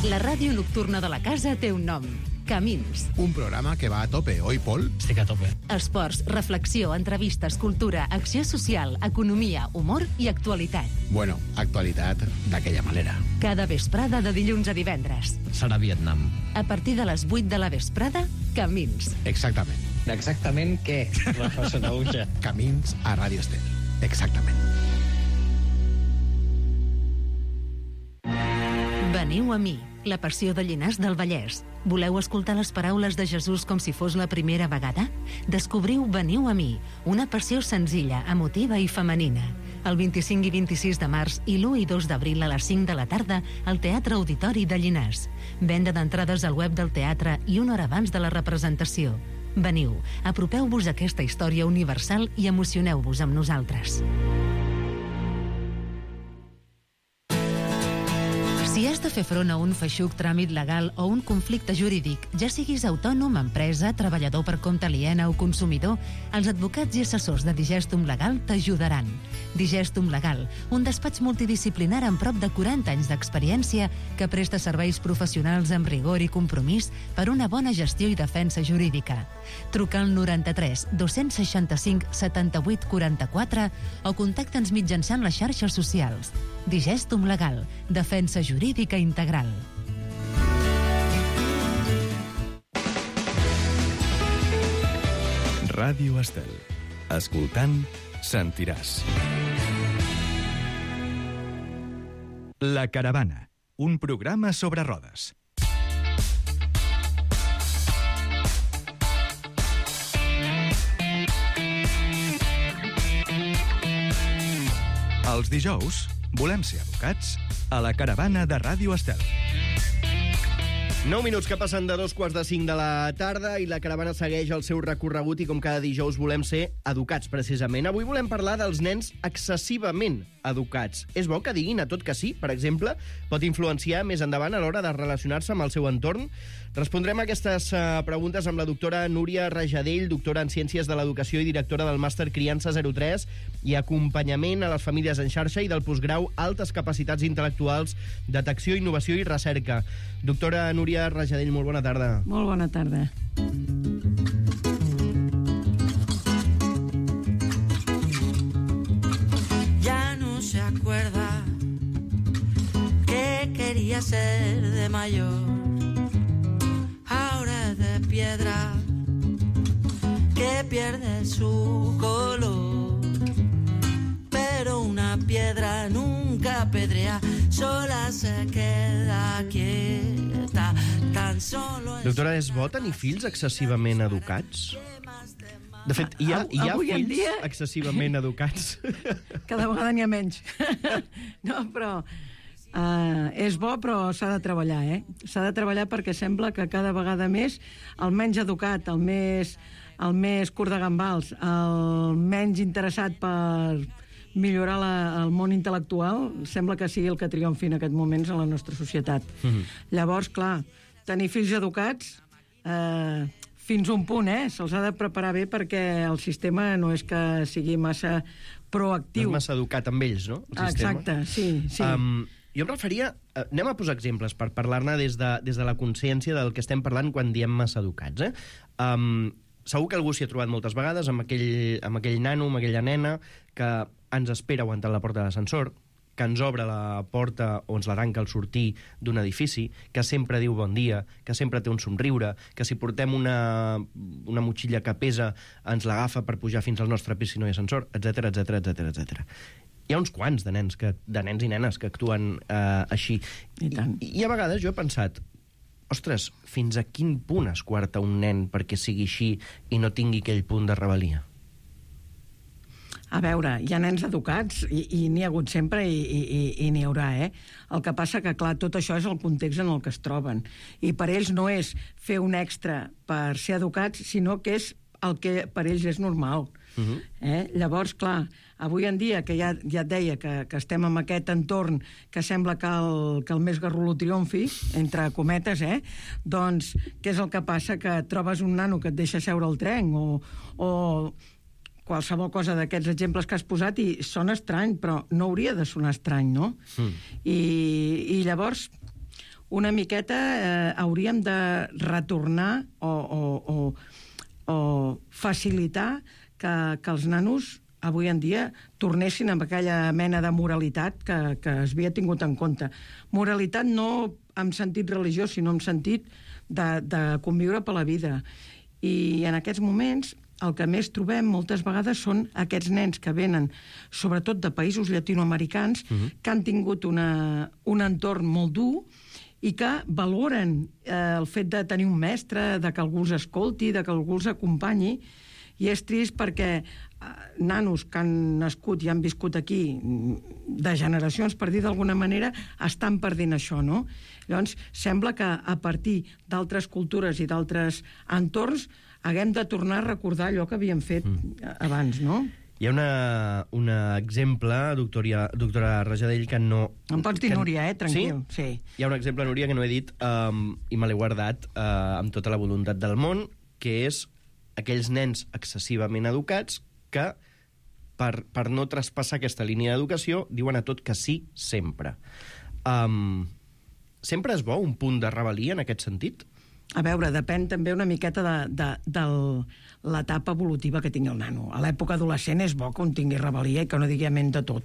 La ràdio nocturna de la casa té un nom. Camins. Un programa que va a tope, oi, Pol? Estic a tope. Esports, reflexió, entrevistes, cultura, acció social, economia, humor i actualitat. Bueno, actualitat d'aquella manera. Cada vesprada de dilluns a divendres. Serà Vietnam. A partir de les vuit de la vesprada, Camins. Exactament. Exactament què? Rafa Sonauja. Camins a Ràdio Estel. Exactament. Veniu a mi, la passió de Llinars del Vallès. Voleu escoltar les paraules de Jesús com si fos la primera vegada? Descobriu Veniu a mi, una passió senzilla, emotiva i femenina. El vint-i-cinc i vint-i-sis de març i l'u i dos d'abril a les cinc de la tarda al Teatre Auditori de Llinars. Venda d'entrades al web del teatre i una hora abans de la representació. Veniu, apropeu-vos a aquesta història universal i emocioneu-vos amb nosaltres. Si has de fer front a un feixuc tràmit legal o un conflicte jurídic, ja siguis autònom, empresa, treballador per compte aliena o consumidor, els advocats i assessors de Digestum Legal t'ajudaran. Digestum Legal, un despatx multidisciplinar amb prop de quaranta anys d'experiència que presta serveis professionals amb rigor i compromís per una bona gestió i defensa jurídica. Truca al noranta-tres dos-cents seixanta-cinc setanta-vuit quaranta-quatre o contacta'ns mitjançant les xarxes socials. Digestum Legal, defensa jurídica integral. Ràdio Estel. Escoltant, sentiràs. La Caravana, un programa sobre rodes. Els dijous volem ser educats a la Caravana de Ràdio Estel. nou minuts que passen de dos quarts de cinc de la tarda i la caravana segueix el seu recorregut i com cada dijous volem ser educats, precisament. Avui volem parlar dels nens excessivament educats. És bo que diguin a tot que sí, per exemple? Pot influenciar més endavant a l'hora de relacionar-se amb el seu entorn? Respondrem a aquestes uh, preguntes amb la doctora Núria Rajadell, doctora en Ciències de l'Educació i directora del màster Criança zero tres i acompanyament a les famílies en xarxa i del postgrau Altes Capacitats Intel·lectuals, Detecció, Innovació i Recerca. Doctora Núria Rajadell, molt bona tarda. Molt bona tarda. Ya no se acuerda que quería ser de mayor. Ahora es de piedra que pierde su color. Pero una piedra nunca pedrea, sola se queda quieta, tan solo... Doctora, és bo tenir fills excessivament educats? De fet, hi ha, hi ha Avui en fills dia- excessivament educats? Cada vegada n'hi ha menys. No, però... Uh, és bo, però s'ha de treballar, eh? S'ha de treballar perquè sembla que cada vegada més el menys educat, el més, el més curt de gambals, el menys interessat per millorar la, el món intel·lectual, sembla que sigui el que triomfi en aquests moments a la nostra societat. Mhm. Llavors, clar, tenir fills educats... Eh, fins un punt, eh? Se'ls ha de preparar bé perquè el sistema no és que sigui massa proactiu. No és massa educat amb ells, no? El sistema. Exacte, sí, sí. Um, jo em referia... Uh, anem a posar exemples per parlar-ne des, de, des de la consciència del que estem parlant quan diem massa educats, eh? Um, segur que algú s'hi ha trobat moltes vegades amb aquell, amb aquell nano, amb aquella nena que ens espera aguantant la porta de l'ascensor, que ens obre la porta o ens la tanca al sortir d'un edifici, que sempre diu bon dia, que sempre té un somriure, que si portem una, una motxilla que pesa ens l'agafa per pujar fins al nostre pis si no hi ha ascensor, etcètera, etcètera, etcètera, etcètera. Hi ha uns quants de nens, que, de nens i nenes que actuen eh, així. I tant. I, I a vegades jo he pensat, ostres, fins a quin punt es quarta un nen perquè sigui així i no tingui aquell punt de rebel·lia? A veure, hi ha nens educats i, i n'hi ha hagut sempre i, i, i n'hi haurà, eh? El que passa que, clar, tot això és el context en el que es troben. I per ells no és fer un extra per ser educats, sinó que és el que per ells és normal. Uh-huh. eh? Llavors, clar, avui en dia, que ja, ja et deia que, que estem en aquest entorn que sembla que el, que el més garrulo triomfi, entre cometes, eh? Doncs què és el que passa? Que trobes un nano que et deixa seure al tren o... o qualsevol cosa d'aquests exemples que has posat i sona estrany, però no hauria de sonar estrany, no? Mm. I, I llavors, una miqueta eh, hauríem de retornar o, o, o, o facilitar que, que els nanos avui en dia tornessin amb aquella mena de moralitat que, que es havia tingut en compte. Moralitat no en sentit religiós, sinó en sentit de, de conviure per la vida. I en aquests moments el que més trobem moltes vegades són aquests nens que venen, sobretot de països llatinoamericans, uh-huh. que han tingut una, un entorn molt dur i que valoren eh, el fet de tenir un mestre, de que algú els escolti, de que algú els acompanyi. I és trist perquè eh, nanos que han nascut i han viscut aquí de generacions, per dir d'alguna manera, estan perdent això, no? Llavors, sembla que a partir d'altres cultures i d'altres entorns haguem de tornar a recordar allò que havíem fet mm. abans, no? Hi ha una, un exemple, doctora, doctora Rajadell, que no... Em pots dir que... Núria, eh? Tranquil. Sí? sí? Hi ha un exemple, Núria, que no he dit um, i me l'he guardat uh, amb tota la voluntat del món, que és aquells nens excessivament educats que, per, per no traspassar aquesta línia d'educació, diuen a tot que sí sempre. Um, sempre és bo un punt de rebel·lia en aquest sentit? A veure, depèn també una miqueta de, de, de l'etapa evolutiva que tingui el nano. A l'època adolescent és bo que un tingui rebel·lia i que no digui amén de tot.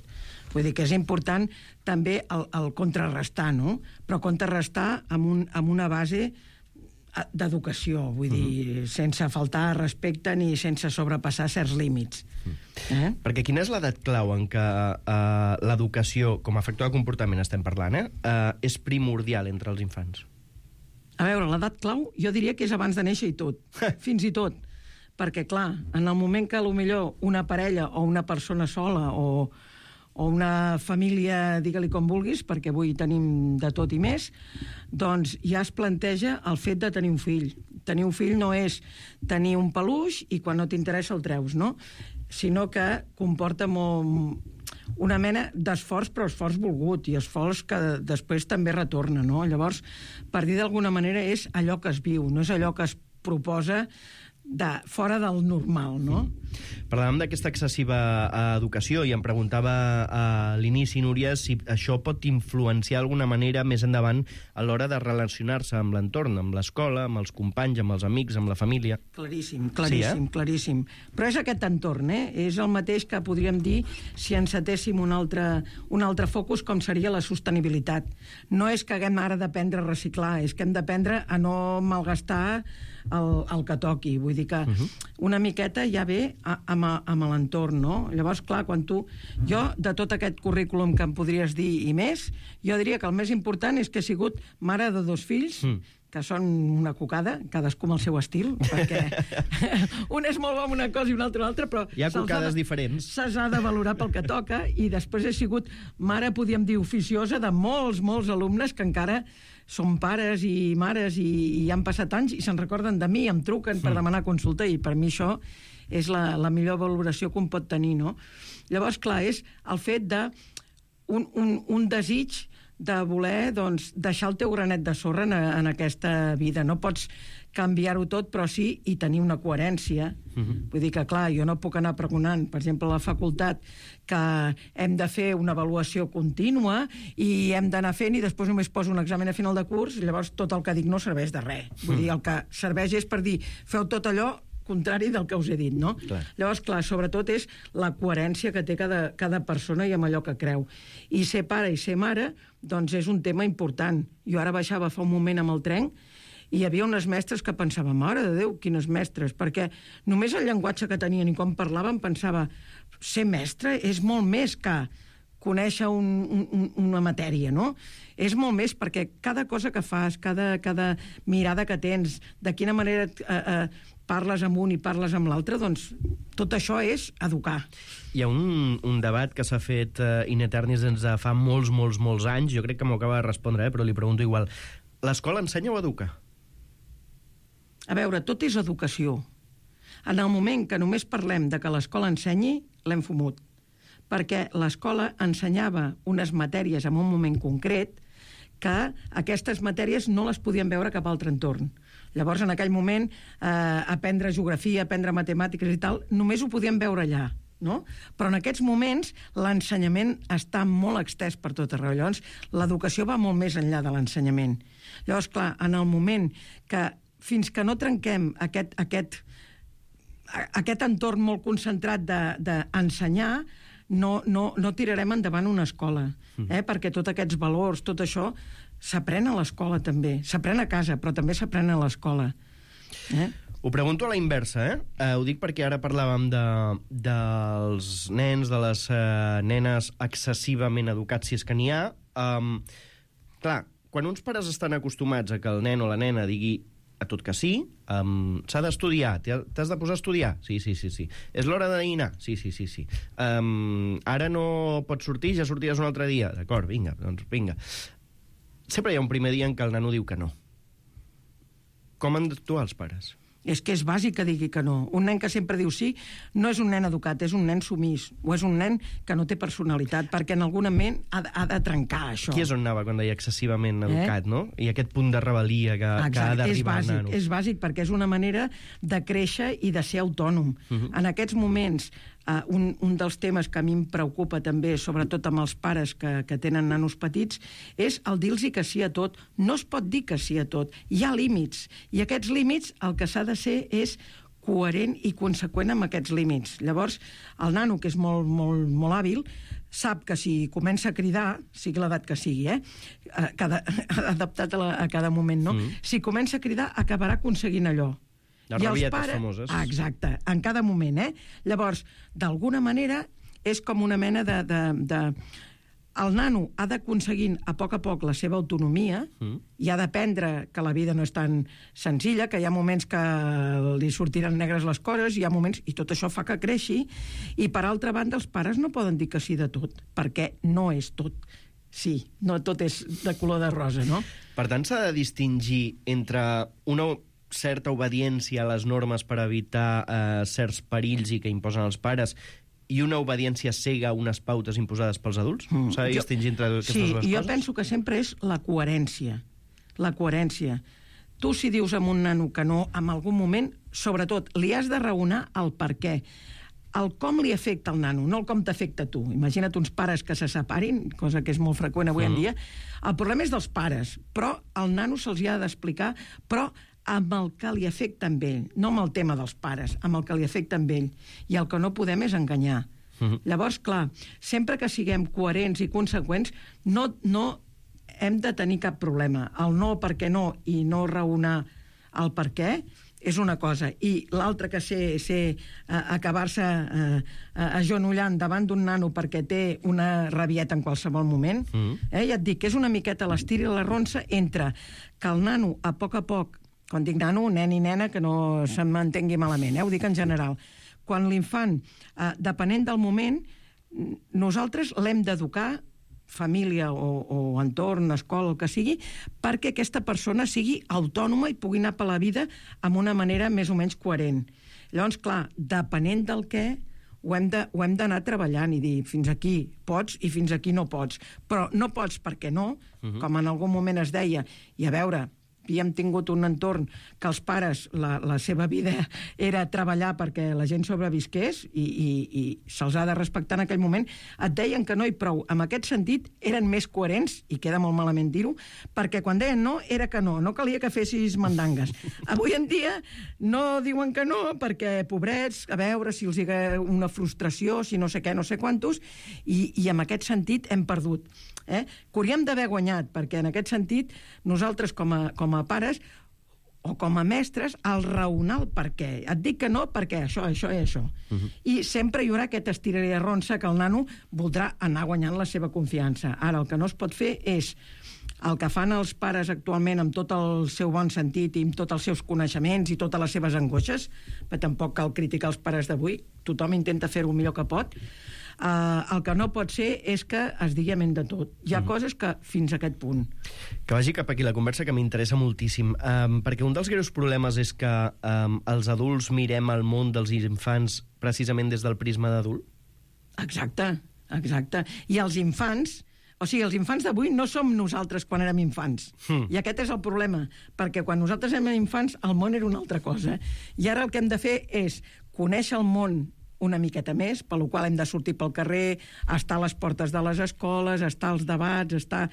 Vull dir que és important també el, el contrarrestar, no? Però contrarrestar amb, un, amb una base d'educació, vull dir, uh-huh. sense faltar respecte ni sense sobrepassar certs límits. Uh-huh. Eh? Perquè quina és l'edat clau en què uh, l'educació, com a factor de comportament estem parlant, eh, uh, és primordial entre els infants? A veure, l'edat clau jo diria que és abans de néixer i tot, fins i tot. Perquè, clar, en el moment que potser una parella o una persona sola o, o una família, digue-li com vulguis, perquè avui tenim de tot i més, doncs ja es planteja el fet de tenir un fill. Tenir un fill no és tenir un peluix i quan no t'interessa el treus, no? Sinó que comporta molt, una mena d'esforç, però esforç volgut, i esforç que després també retorna, no? Llavors, per dir d'alguna manera, és allò que es viu, no és allò que es proposa de fora del normal, no? Parlàvem d'aquesta excessiva eh, educació i em preguntava a l'inici, Núria, si això pot influenciar d'alguna manera més endavant a l'hora de relacionar-se amb l'entorn, amb l'escola, amb els companys, amb els amics, amb la família. Claríssim, claríssim, sí, eh? claríssim. Però és aquest entorn, eh? És el mateix que podríem dir si encetéssim un altre, un altre focus com seria la sostenibilitat. No és que haguem ara d'aprendre a reciclar, és que hem d'aprendre a no malgastar el, el que toqui. Vull dir que uh-huh. una miqueta ja ve a, amb, amb l'entorn, no? Llavors, clar, quan tu... Jo, de tot aquest currículum que em podries dir i més, jo diria que el més important és que he sigut mare de dos fills, mm. que són una cocada, cadascú amb el seu estil, perquè un és molt bo en una cosa i un altre una altra, però... Hi ha cocades de, diferents. Se'ls ha de valorar pel que toca, i després he sigut mare, podríem dir, oficiosa de molts, molts alumnes que encara són pares i mares i, i han passat anys i se'n recorden de mi, em truquen per demanar consulta, i per mi això és la, la millor valoració que un pot tenir, no? Llavors, clar, és el fet de un, un, un desig de voler, doncs, deixar el teu granet de sorra en, en aquesta vida. No pots canviar-ho tot, però sí i tenir una coherència. Uh-huh. Vull dir que, clar, jo no puc anar pregonant, per exemple, a la facultat, que hem de fer una avaluació contínua i hem d'anar fent i després només poso un examen a final de curs, i llavors tot el que dic no serveix de res. Vull dir, el que serveix és per dir, feu tot allò contrari del que us he dit, no? Clar. Llavors, clar, sobretot és la coherència que té cada, cada persona i amb allò que creu. I ser pare i ser mare, doncs és un tema important. Jo ara baixava fa un moment amb el tren i hi havia unes mestres que pensava, mare de Déu, quines mestres, perquè només el llenguatge que tenien i com parlaven pensava, ser mestre és molt més que conèixer un, un, una matèria, no? És molt més, perquè cada cosa que fas, cada, cada mirada que tens, de quina manera eh, eh, parles amb un i parles amb l'altre, doncs tot això és educar. Hi ha un, un debat que s'ha fet uh, in eternis des de fa molts, molts, molts anys, jo crec que m'ho acaba de respondre, eh, però li pregunto igual. L'escola ensenya o educa? A veure, tot és educació. En el moment que només parlem de que l'escola ensenyi, l'hem fumut. Perquè l'escola ensenyava unes matèries en un moment concret que aquestes matèries no les podien veure cap altre entorn. Llavors, en aquell moment, eh, aprendre geografia, aprendre matemàtiques i tal, només ho podien veure allà. No? Però en aquests moments l'ensenyament està molt extès per tot arreu. Llavors, l'educació va molt més enllà de l'ensenyament. Llavors, clar, en el moment que fins que no trenquem aquest, aquest, aquest entorn molt concentrat d'ensenyar, de, no, no, no tirarem endavant una escola, eh? Perquè tots aquests valors, tot això, s'aprèn a l'escola també. S'aprèn a casa, però també s'aprèn a l'escola. Eh? Ho pregunto a la inversa, eh? eh ho dic perquè ara parlàvem de, dels nens, de les eh, nenes excessivament educats, si és que n'hi ha. Um, clar, quan uns pares estan acostumats a que el nen o la nena digui a tot que sí, um, s'ha d'estudiar, t'has de posar a estudiar? Sí, sí, sí, sí. És l'hora de dinar? Sí, sí, sí, sí. Um, ara no pots sortir, ja sortiràs un altre dia. D'acord, vinga, doncs vinga. Sempre hi ha un primer dia en què el nano diu que no. Com han d'actuar els pares? És que és bàsic que digui que no. Un nen que sempre diu sí no és un nen educat, és un nen sumís, o és un nen que no té personalitat, perquè en algun moment ha, ha de trencar això. Qui és on anava quan deia excessivament educat, eh? No? I aquest punt de rebel·lia que, que ha d'arribar al nano. És bàsic, perquè és una manera de créixer i de ser autònom. Uh-huh. En aquests moments, Uh, un, un dels temes que a mi em preocupa també, sobretot amb els pares que, que tenen nanos petits, és el dir-los que sí a tot. No es pot dir que sí a tot. Hi ha límits. I aquests límits el que s'ha de ser és coherent i conseqüent amb aquests límits. Llavors, el nano, que és molt, molt, molt hàbil, sap que si comença a cridar, sigui l'edat que sigui, eh? Cada, adaptat a, la, a cada moment, no? Mm. Si comença a cridar, acabarà aconseguint allò. Les rabietes pares, famoses. Ah, exacte, en cada moment, eh? Llavors, d'alguna manera, és com una mena de... de, de... El nano ha d'aconseguir a poc a poc la seva autonomia mm. i ha d'aprendre que la vida no és tan senzilla, que hi ha moments que li sortiran negres les coses, hi ha moments... I tot això fa que creixi. I, per altra banda, els pares no poden dir que sí de tot, perquè no és tot. Sí, no tot és de color de rosa, no? Per tant, s'ha de distingir entre una certa obediència a les normes per evitar eh, certs perills i que imposen els pares i una obediència cega a unes pautes imposades pels adults? Mm. S'ha de distingir entre aquestes sí, dues coses? Sí, jo penso que sempre és la coherència. La coherència. Tu, si dius a un nano que no, en algun moment, sobretot, li has de raonar el per què. El com li afecta al nano, no el com t'afecta a tu. Imagina't uns pares que se separin, cosa que és molt freqüent avui mm. en dia. El problema és dels pares, però al nano se'ls ha d'explicar, però amb el que li afecta amb ell, no amb el tema dels pares, amb el que li afecta amb ell. I el que no podem és enganyar. Uh-huh. Llavors, clar, sempre que siguem coherents i conseqüents, no, no hem de tenir cap problema. El no perquè no i no raonar el per què és una cosa. I l'altra que sé, sé uh, acabar-se uh, uh, agenollant davant d'un nano perquè té una rabieta en qualsevol moment, uh-huh. eh? Ja et dic que és una miqueta l'estir i la ronça entre que el nano, a poc a poc, quan dic nano, nen i nena, que no se m'entengui malament, eh? Ho dic en general. Quan l'infant, eh, depenent del moment, nosaltres l'hem d'educar, família o, o entorn, escola, el que sigui, perquè aquesta persona sigui autònoma i pugui anar per la vida amb una manera més o menys coherent. Llavors, clar, depenent del què, ho hem de, ho hem d'anar treballant i dir fins aquí pots i fins aquí no pots. Però no pots perquè no, uh-huh. com en algun moment es deia, i a veure... havíem tingut un entorn que els pares, la, la seva vida era treballar perquè la gent sobrevisqués i, i, i se'ls ha de respectar en aquell moment, et deien que no i prou. En aquest sentit, eren més coherents, i queda molt malament dir-ho, perquè quan deien no, era que no, no calia que fessis mandangues. Avui en dia no diuen que no, perquè, pobrets, a veure si els hi ha una frustració, si no sé què, no sé quantos, i, i en aquest sentit hem perdut. Eh? Que hauríem d'haver guanyat, perquè en aquest sentit nosaltres com a, com a pares o com a mestres, el raonar el per què. Et dic que no perquè això, això i això. Uh-huh. I sempre hi haurà aquest estiraré a ronça que el nano voldrà anar guanyant la seva confiança. Ara, el que no es pot fer és el que fan els pares actualment amb tot el seu bon sentit i amb tots els seus coneixements i totes les seves angoixes, però tampoc cal criticar els pares d'avui, tothom intenta fer-ho el millor que pot. Uh, el que no pot ser és que es digui amén de tot. Hi ha mm. coses que fins a aquest punt. Que vagi cap aquí la conversa, que m'interessa moltíssim, um, perquè un dels greus problemes és que um, els adults mirem el món dels infants precisament des del prisma d'adult. Exacte, exacte. I els infants O sigui, els infants d'avui no som nosaltres quan érem infants. Mm. I aquest és el problema, perquè quan nosaltres érem infants el món era una altra cosa. I ara el que hem de fer és conèixer el món una miqueta més, per la qual hem de sortir pel carrer, estar a les portes de les escoles, estar als debats, estar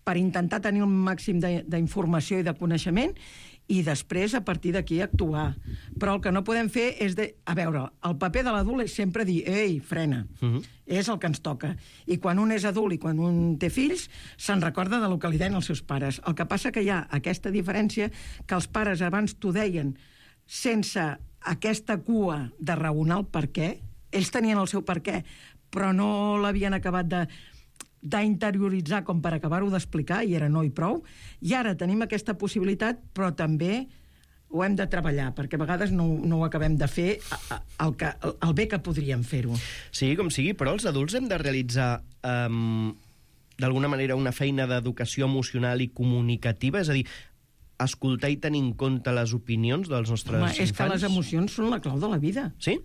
per intentar tenir un màxim d'informació i de coneixement, i després, a partir d'aquí, actuar. Però el que no podem fer és de... A veure, el paper de l'adult és sempre dir ei, frena, uh-huh. és el que ens toca. I quan un és adult i quan un té fills, se'n recorda del que li deien els seus pares. El que passa que hi ha aquesta diferència que els pares abans t'ho deien sense aquesta cua de raonar el per què. Ells tenien el seu per què, però no l'havien acabat de... d'interioritzar com per acabar-ho d'explicar, i era no i prou, i ara tenim aquesta possibilitat, però també ho hem de treballar, perquè a vegades no, no ho acabem de fer el, que, el bé que podríem fer-ho. Sigui com sigui, però els adults hem de realitzar um, d'alguna manera una feina d'educació emocional i comunicativa, és a dir, escoltar i tenir en compte les opinions dels nostres Home, infants. És que les emocions són la clau de la vida. Sí?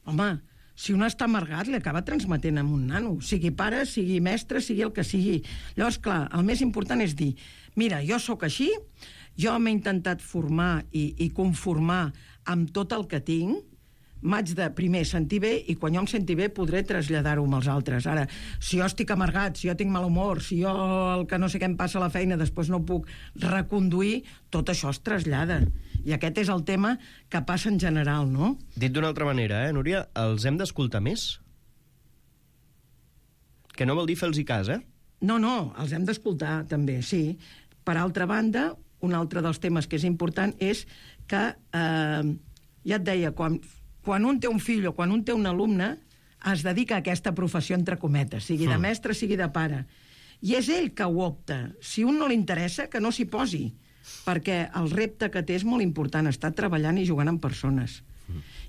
Home, si un està amargat, li acaba transmetent amb un nano, sigui pare, sigui mestre, sigui el que sigui. Llavors, clar, el més important és dir, mira, jo sóc així, jo m'he intentat formar i, i conformar amb tot el que tinc, m'haig de primer sentir bé, i quan jo em senti bé podré traslladar-ho amb els altres. Ara, si jo estic amargat, si jo tinc mal humor, si jo el que no sé què em passa a la feina després no puc reconduir, tot això es trasllada. I aquest és el tema que passa en general, no? Dit d'una altra manera, eh, Núria, els hem d'escoltar més? Que no vol dir fer-los cas, eh? No, no, els hem d'escoltar, també, sí. Per altra banda, un altre dels temes que és important és que, eh, ja et deia, quan... quan un té un fill o quan un té un alumne, es dedica a aquesta professió, entre cometes, sigui de mestre, sigui de pare. I és ell que ho opta. Si un no li interessa, que no s'hi posi, perquè el repte que té és molt important, estar treballant i jugant amb persones.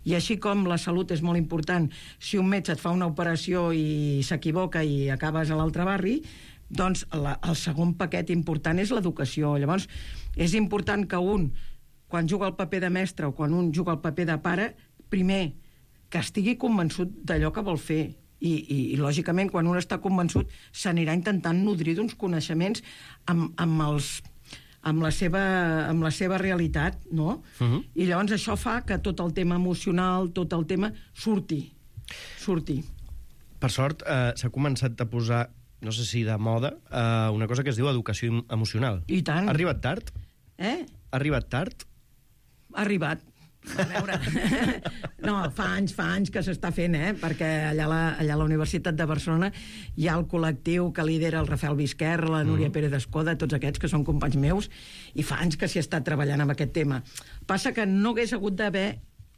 I així com la salut és molt important, si un metge et fa una operació i s'equivoca i acabes a l'altre barri, doncs la, el segon paquet important és l'educació. Llavors, és important que un, quan juga el paper de mestre o quan un juga el paper de pare, primer, que estigui convençut d'allò que vol fer. I, i, i lògicament, quan un està convençut, s'anirà intentant nodrir d'uns coneixements amb, amb, els, amb, la seva, amb la seva realitat, no? Uh-huh. I llavors això fa que tot el tema emocional, tot el tema, surti. Surti. Per sort, eh, s'ha començat a posar, no sé si de moda, eh, una cosa que es diu educació emocional. I tant. Ha arribat tard? Eh? Ha arribat tard? Ha arribat. A veure, no, fa anys, fa anys que s'està fent, eh? Perquè allà a, la, allà a la Universitat de Barcelona hi ha el col·lectiu que lidera el Rafael Vizquer, la Núria mm. Pérez Escoda, tots aquests que són companys meus, i fa anys que s'hi està treballant amb aquest tema. Passa que no hagués hagut d'haver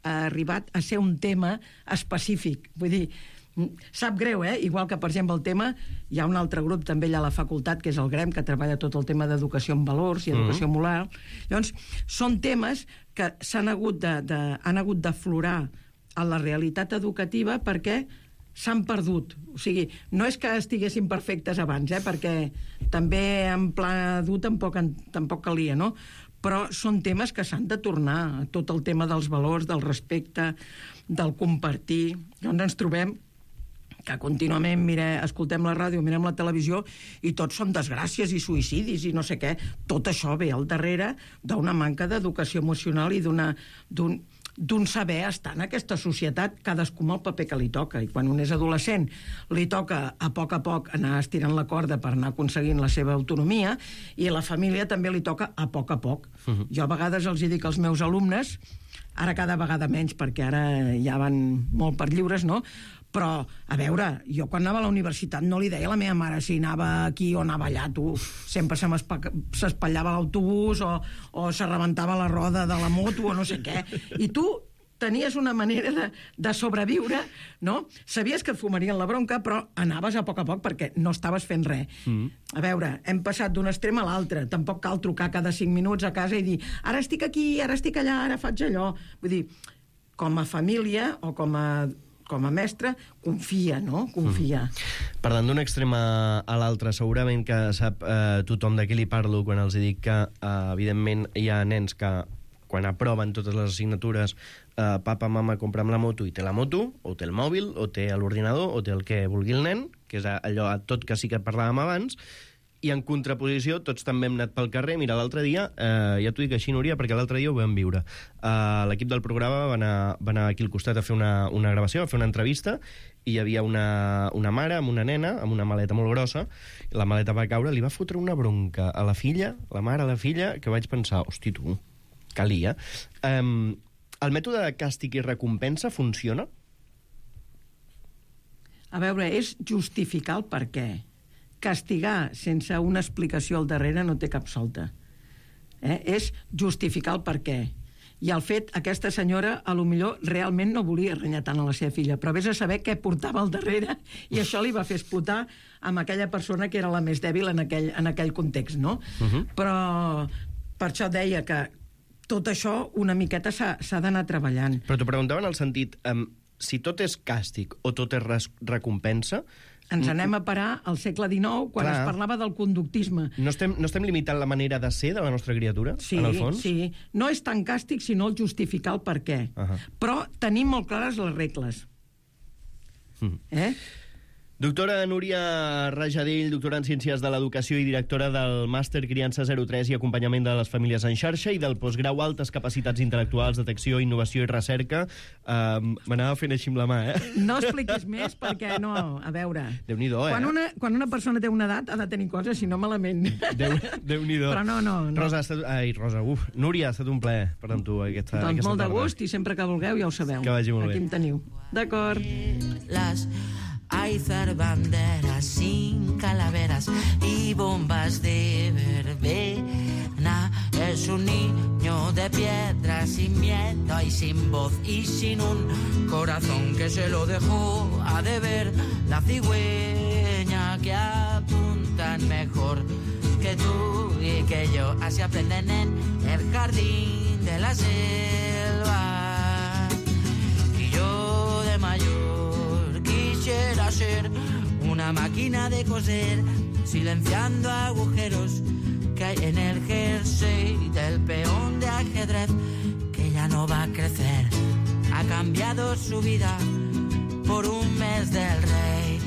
arribat a ser un tema específic. Vull dir, sap greu, eh? Igual que, per exemple, el tema... Hi ha un altre grup també allà a la facultat, que és el GREM, que treballa tot el tema d'educació en valors i educació mm. moral. Llavors, són temes que s'han hagut de, de, han hagut d'aflorar a la realitat educativa perquè s'han perdut. O sigui, no és que estiguessin perfectes abans, eh? Perquè també en pla dur tampoc, tampoc calia, no? Però són temes que s'han de tornar. Tot el tema dels valors, del respecte, del compartir. Llavors ens trobem que contínuament mire, escoltem la ràdio, mirem la televisió i tots són desgràcies i suïcidis i no sé què. Tot això ve al darrere d'una manca d'educació emocional i d'una, d'un, d'un saber estar en aquesta societat, cadascú amb el paper que li toca. I quan un és adolescent li toca a poc a poc anar estirant la corda per anar aconseguint la seva autonomia, i a la família també li toca a poc a poc. Uh-huh. Jo a vegades els hi dic als meus alumnes, ara cada vegada menys perquè ara ja van molt per lliures, no?, però, a veure, jo quan anava a la universitat no li deia a la meva mare si anava aquí o anava allà, tu. Sempre se s'espatllava l'autobús o, o se rebentava la roda de la moto o no sé què. I tu tenies una manera de, de sobreviure, no? Sabies que et fumarien la bronca, però anaves a poc a poc perquè no estaves fent res. Mm. A veure, hem passat d'un extrem a l'altre. Tampoc cal trucar cada cinc minuts a casa i dir ara estic aquí, ara estic allà, ara faig allò. Vull dir, com a família o com a com a mestre, confia, no? Confia. Mm. Parlant d'un extrem a, a l'altre, segurament que sap eh, tothom de qui li parlo quan els dic que, eh, evidentment, hi ha nens que quan aproven totes les assignatures, eh, papa, mama, compra'm la moto, i té la moto, o té el mòbil, o té l'ordinador, o té el que vulgui el nen, que és allò tot que sí que parlàvem abans, i en contraposició tots també hem anat pel carrer. Mira, l'altre dia, eh, ja t'ho dic així, Núria, perquè l'altre dia ho vam viure. Eh, l'equip del programa va anar, va anar aquí al costat a fer una, una gravació, a fer una entrevista, i hi havia una, una mare amb una nena, amb una maleta molt grossa, i la maleta va caure, li va fotre una bronca a la filla, la mare a la filla, que vaig pensar, hosti, tu, calia. Eh, el mètode de càstig i recompensa funciona? A veure, és justificar el per què. Castigar sense una explicació al darrere no té cap solta. Eh? És justificar el per què. I el fet, aquesta senyora, a lo millor, realment no volia renyar tant a la seva filla, però vés a saber què portava al darrere, i això li va fer explotar amb aquella persona que era la més dèbil en aquell, en aquell context, no? Uh-huh. Però per això deia que tot això una miqueta s'ha d'anar treballant. Però t'ho preguntava en el sentit, um, si tot és càstig o tot és res recompensa... Ens anem a parar al segle dinou, quan Clar. es parlava del conductisme. No estem, no estem limitant la manera de ser de la nostra criatura, sí, en el fons? Sí, no és tan càstig, sinó el justificar el per què. Uh -huh. Però tenim molt clares les regles. Mm. Eh? Doctora Núria Rajadell, doctora en Ciències de l'Educació i directora del Màster Criança zero tres i Acompanyament de les Famílies en Xarxa i del postgrau Altes Capacitats Intel·lectuals, Detecció, Innovació i Recerca. Uh, M'anava fent així amb la mà, eh? No expliquis més perquè no... A veure... Déu-n'hi-do, eh? Quan una, quan una persona té una edat ha de tenir coses, si no malament. Déu, Déu-n'hi-do. Però no, no, no. Rosa, ha estat... Ai, Rosa, uf. Núria, ha estat un plaer parlar amb tu aquesta, doncs aquesta molt tarda. de gust i sempre que vulgueu ja ho sabeu. Que vagi molt bé. Aquí em teniu. D'acord. Las hay zar banderas sin calaveras y bombas de verbena. Es un niño de piedra sin miedo y sin voz y sin un corazón que se lo dejó a deber la cigüeña, que apuntan mejor que tú y que yo. Así aprenden en el jardín de la selva. Y yo de mayor quisiera ser una máquina de coser, silenciando agujeros que hay en el jersey del peón de ajedrez, que ya no va a crecer. Ha cambiado su vida por un mes del rey.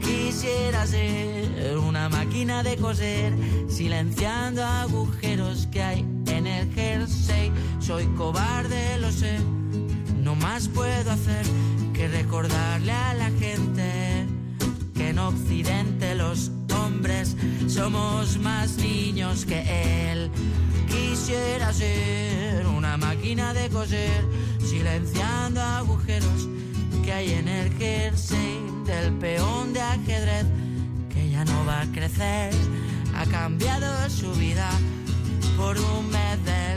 Quisiera ser una máquina de coser, silenciando agujeros que hay en el jersey. Soy cobarde, lo sé, no más puedo hacer que recordarle a la gente que en Occidente los hombres somos más niños que él. Quisiera ser una máquina de coser, silenciando agujeros que hay en el jersey del peón de ajedrez, que ya no va a crecer. Ha cambiado su vida por un mes de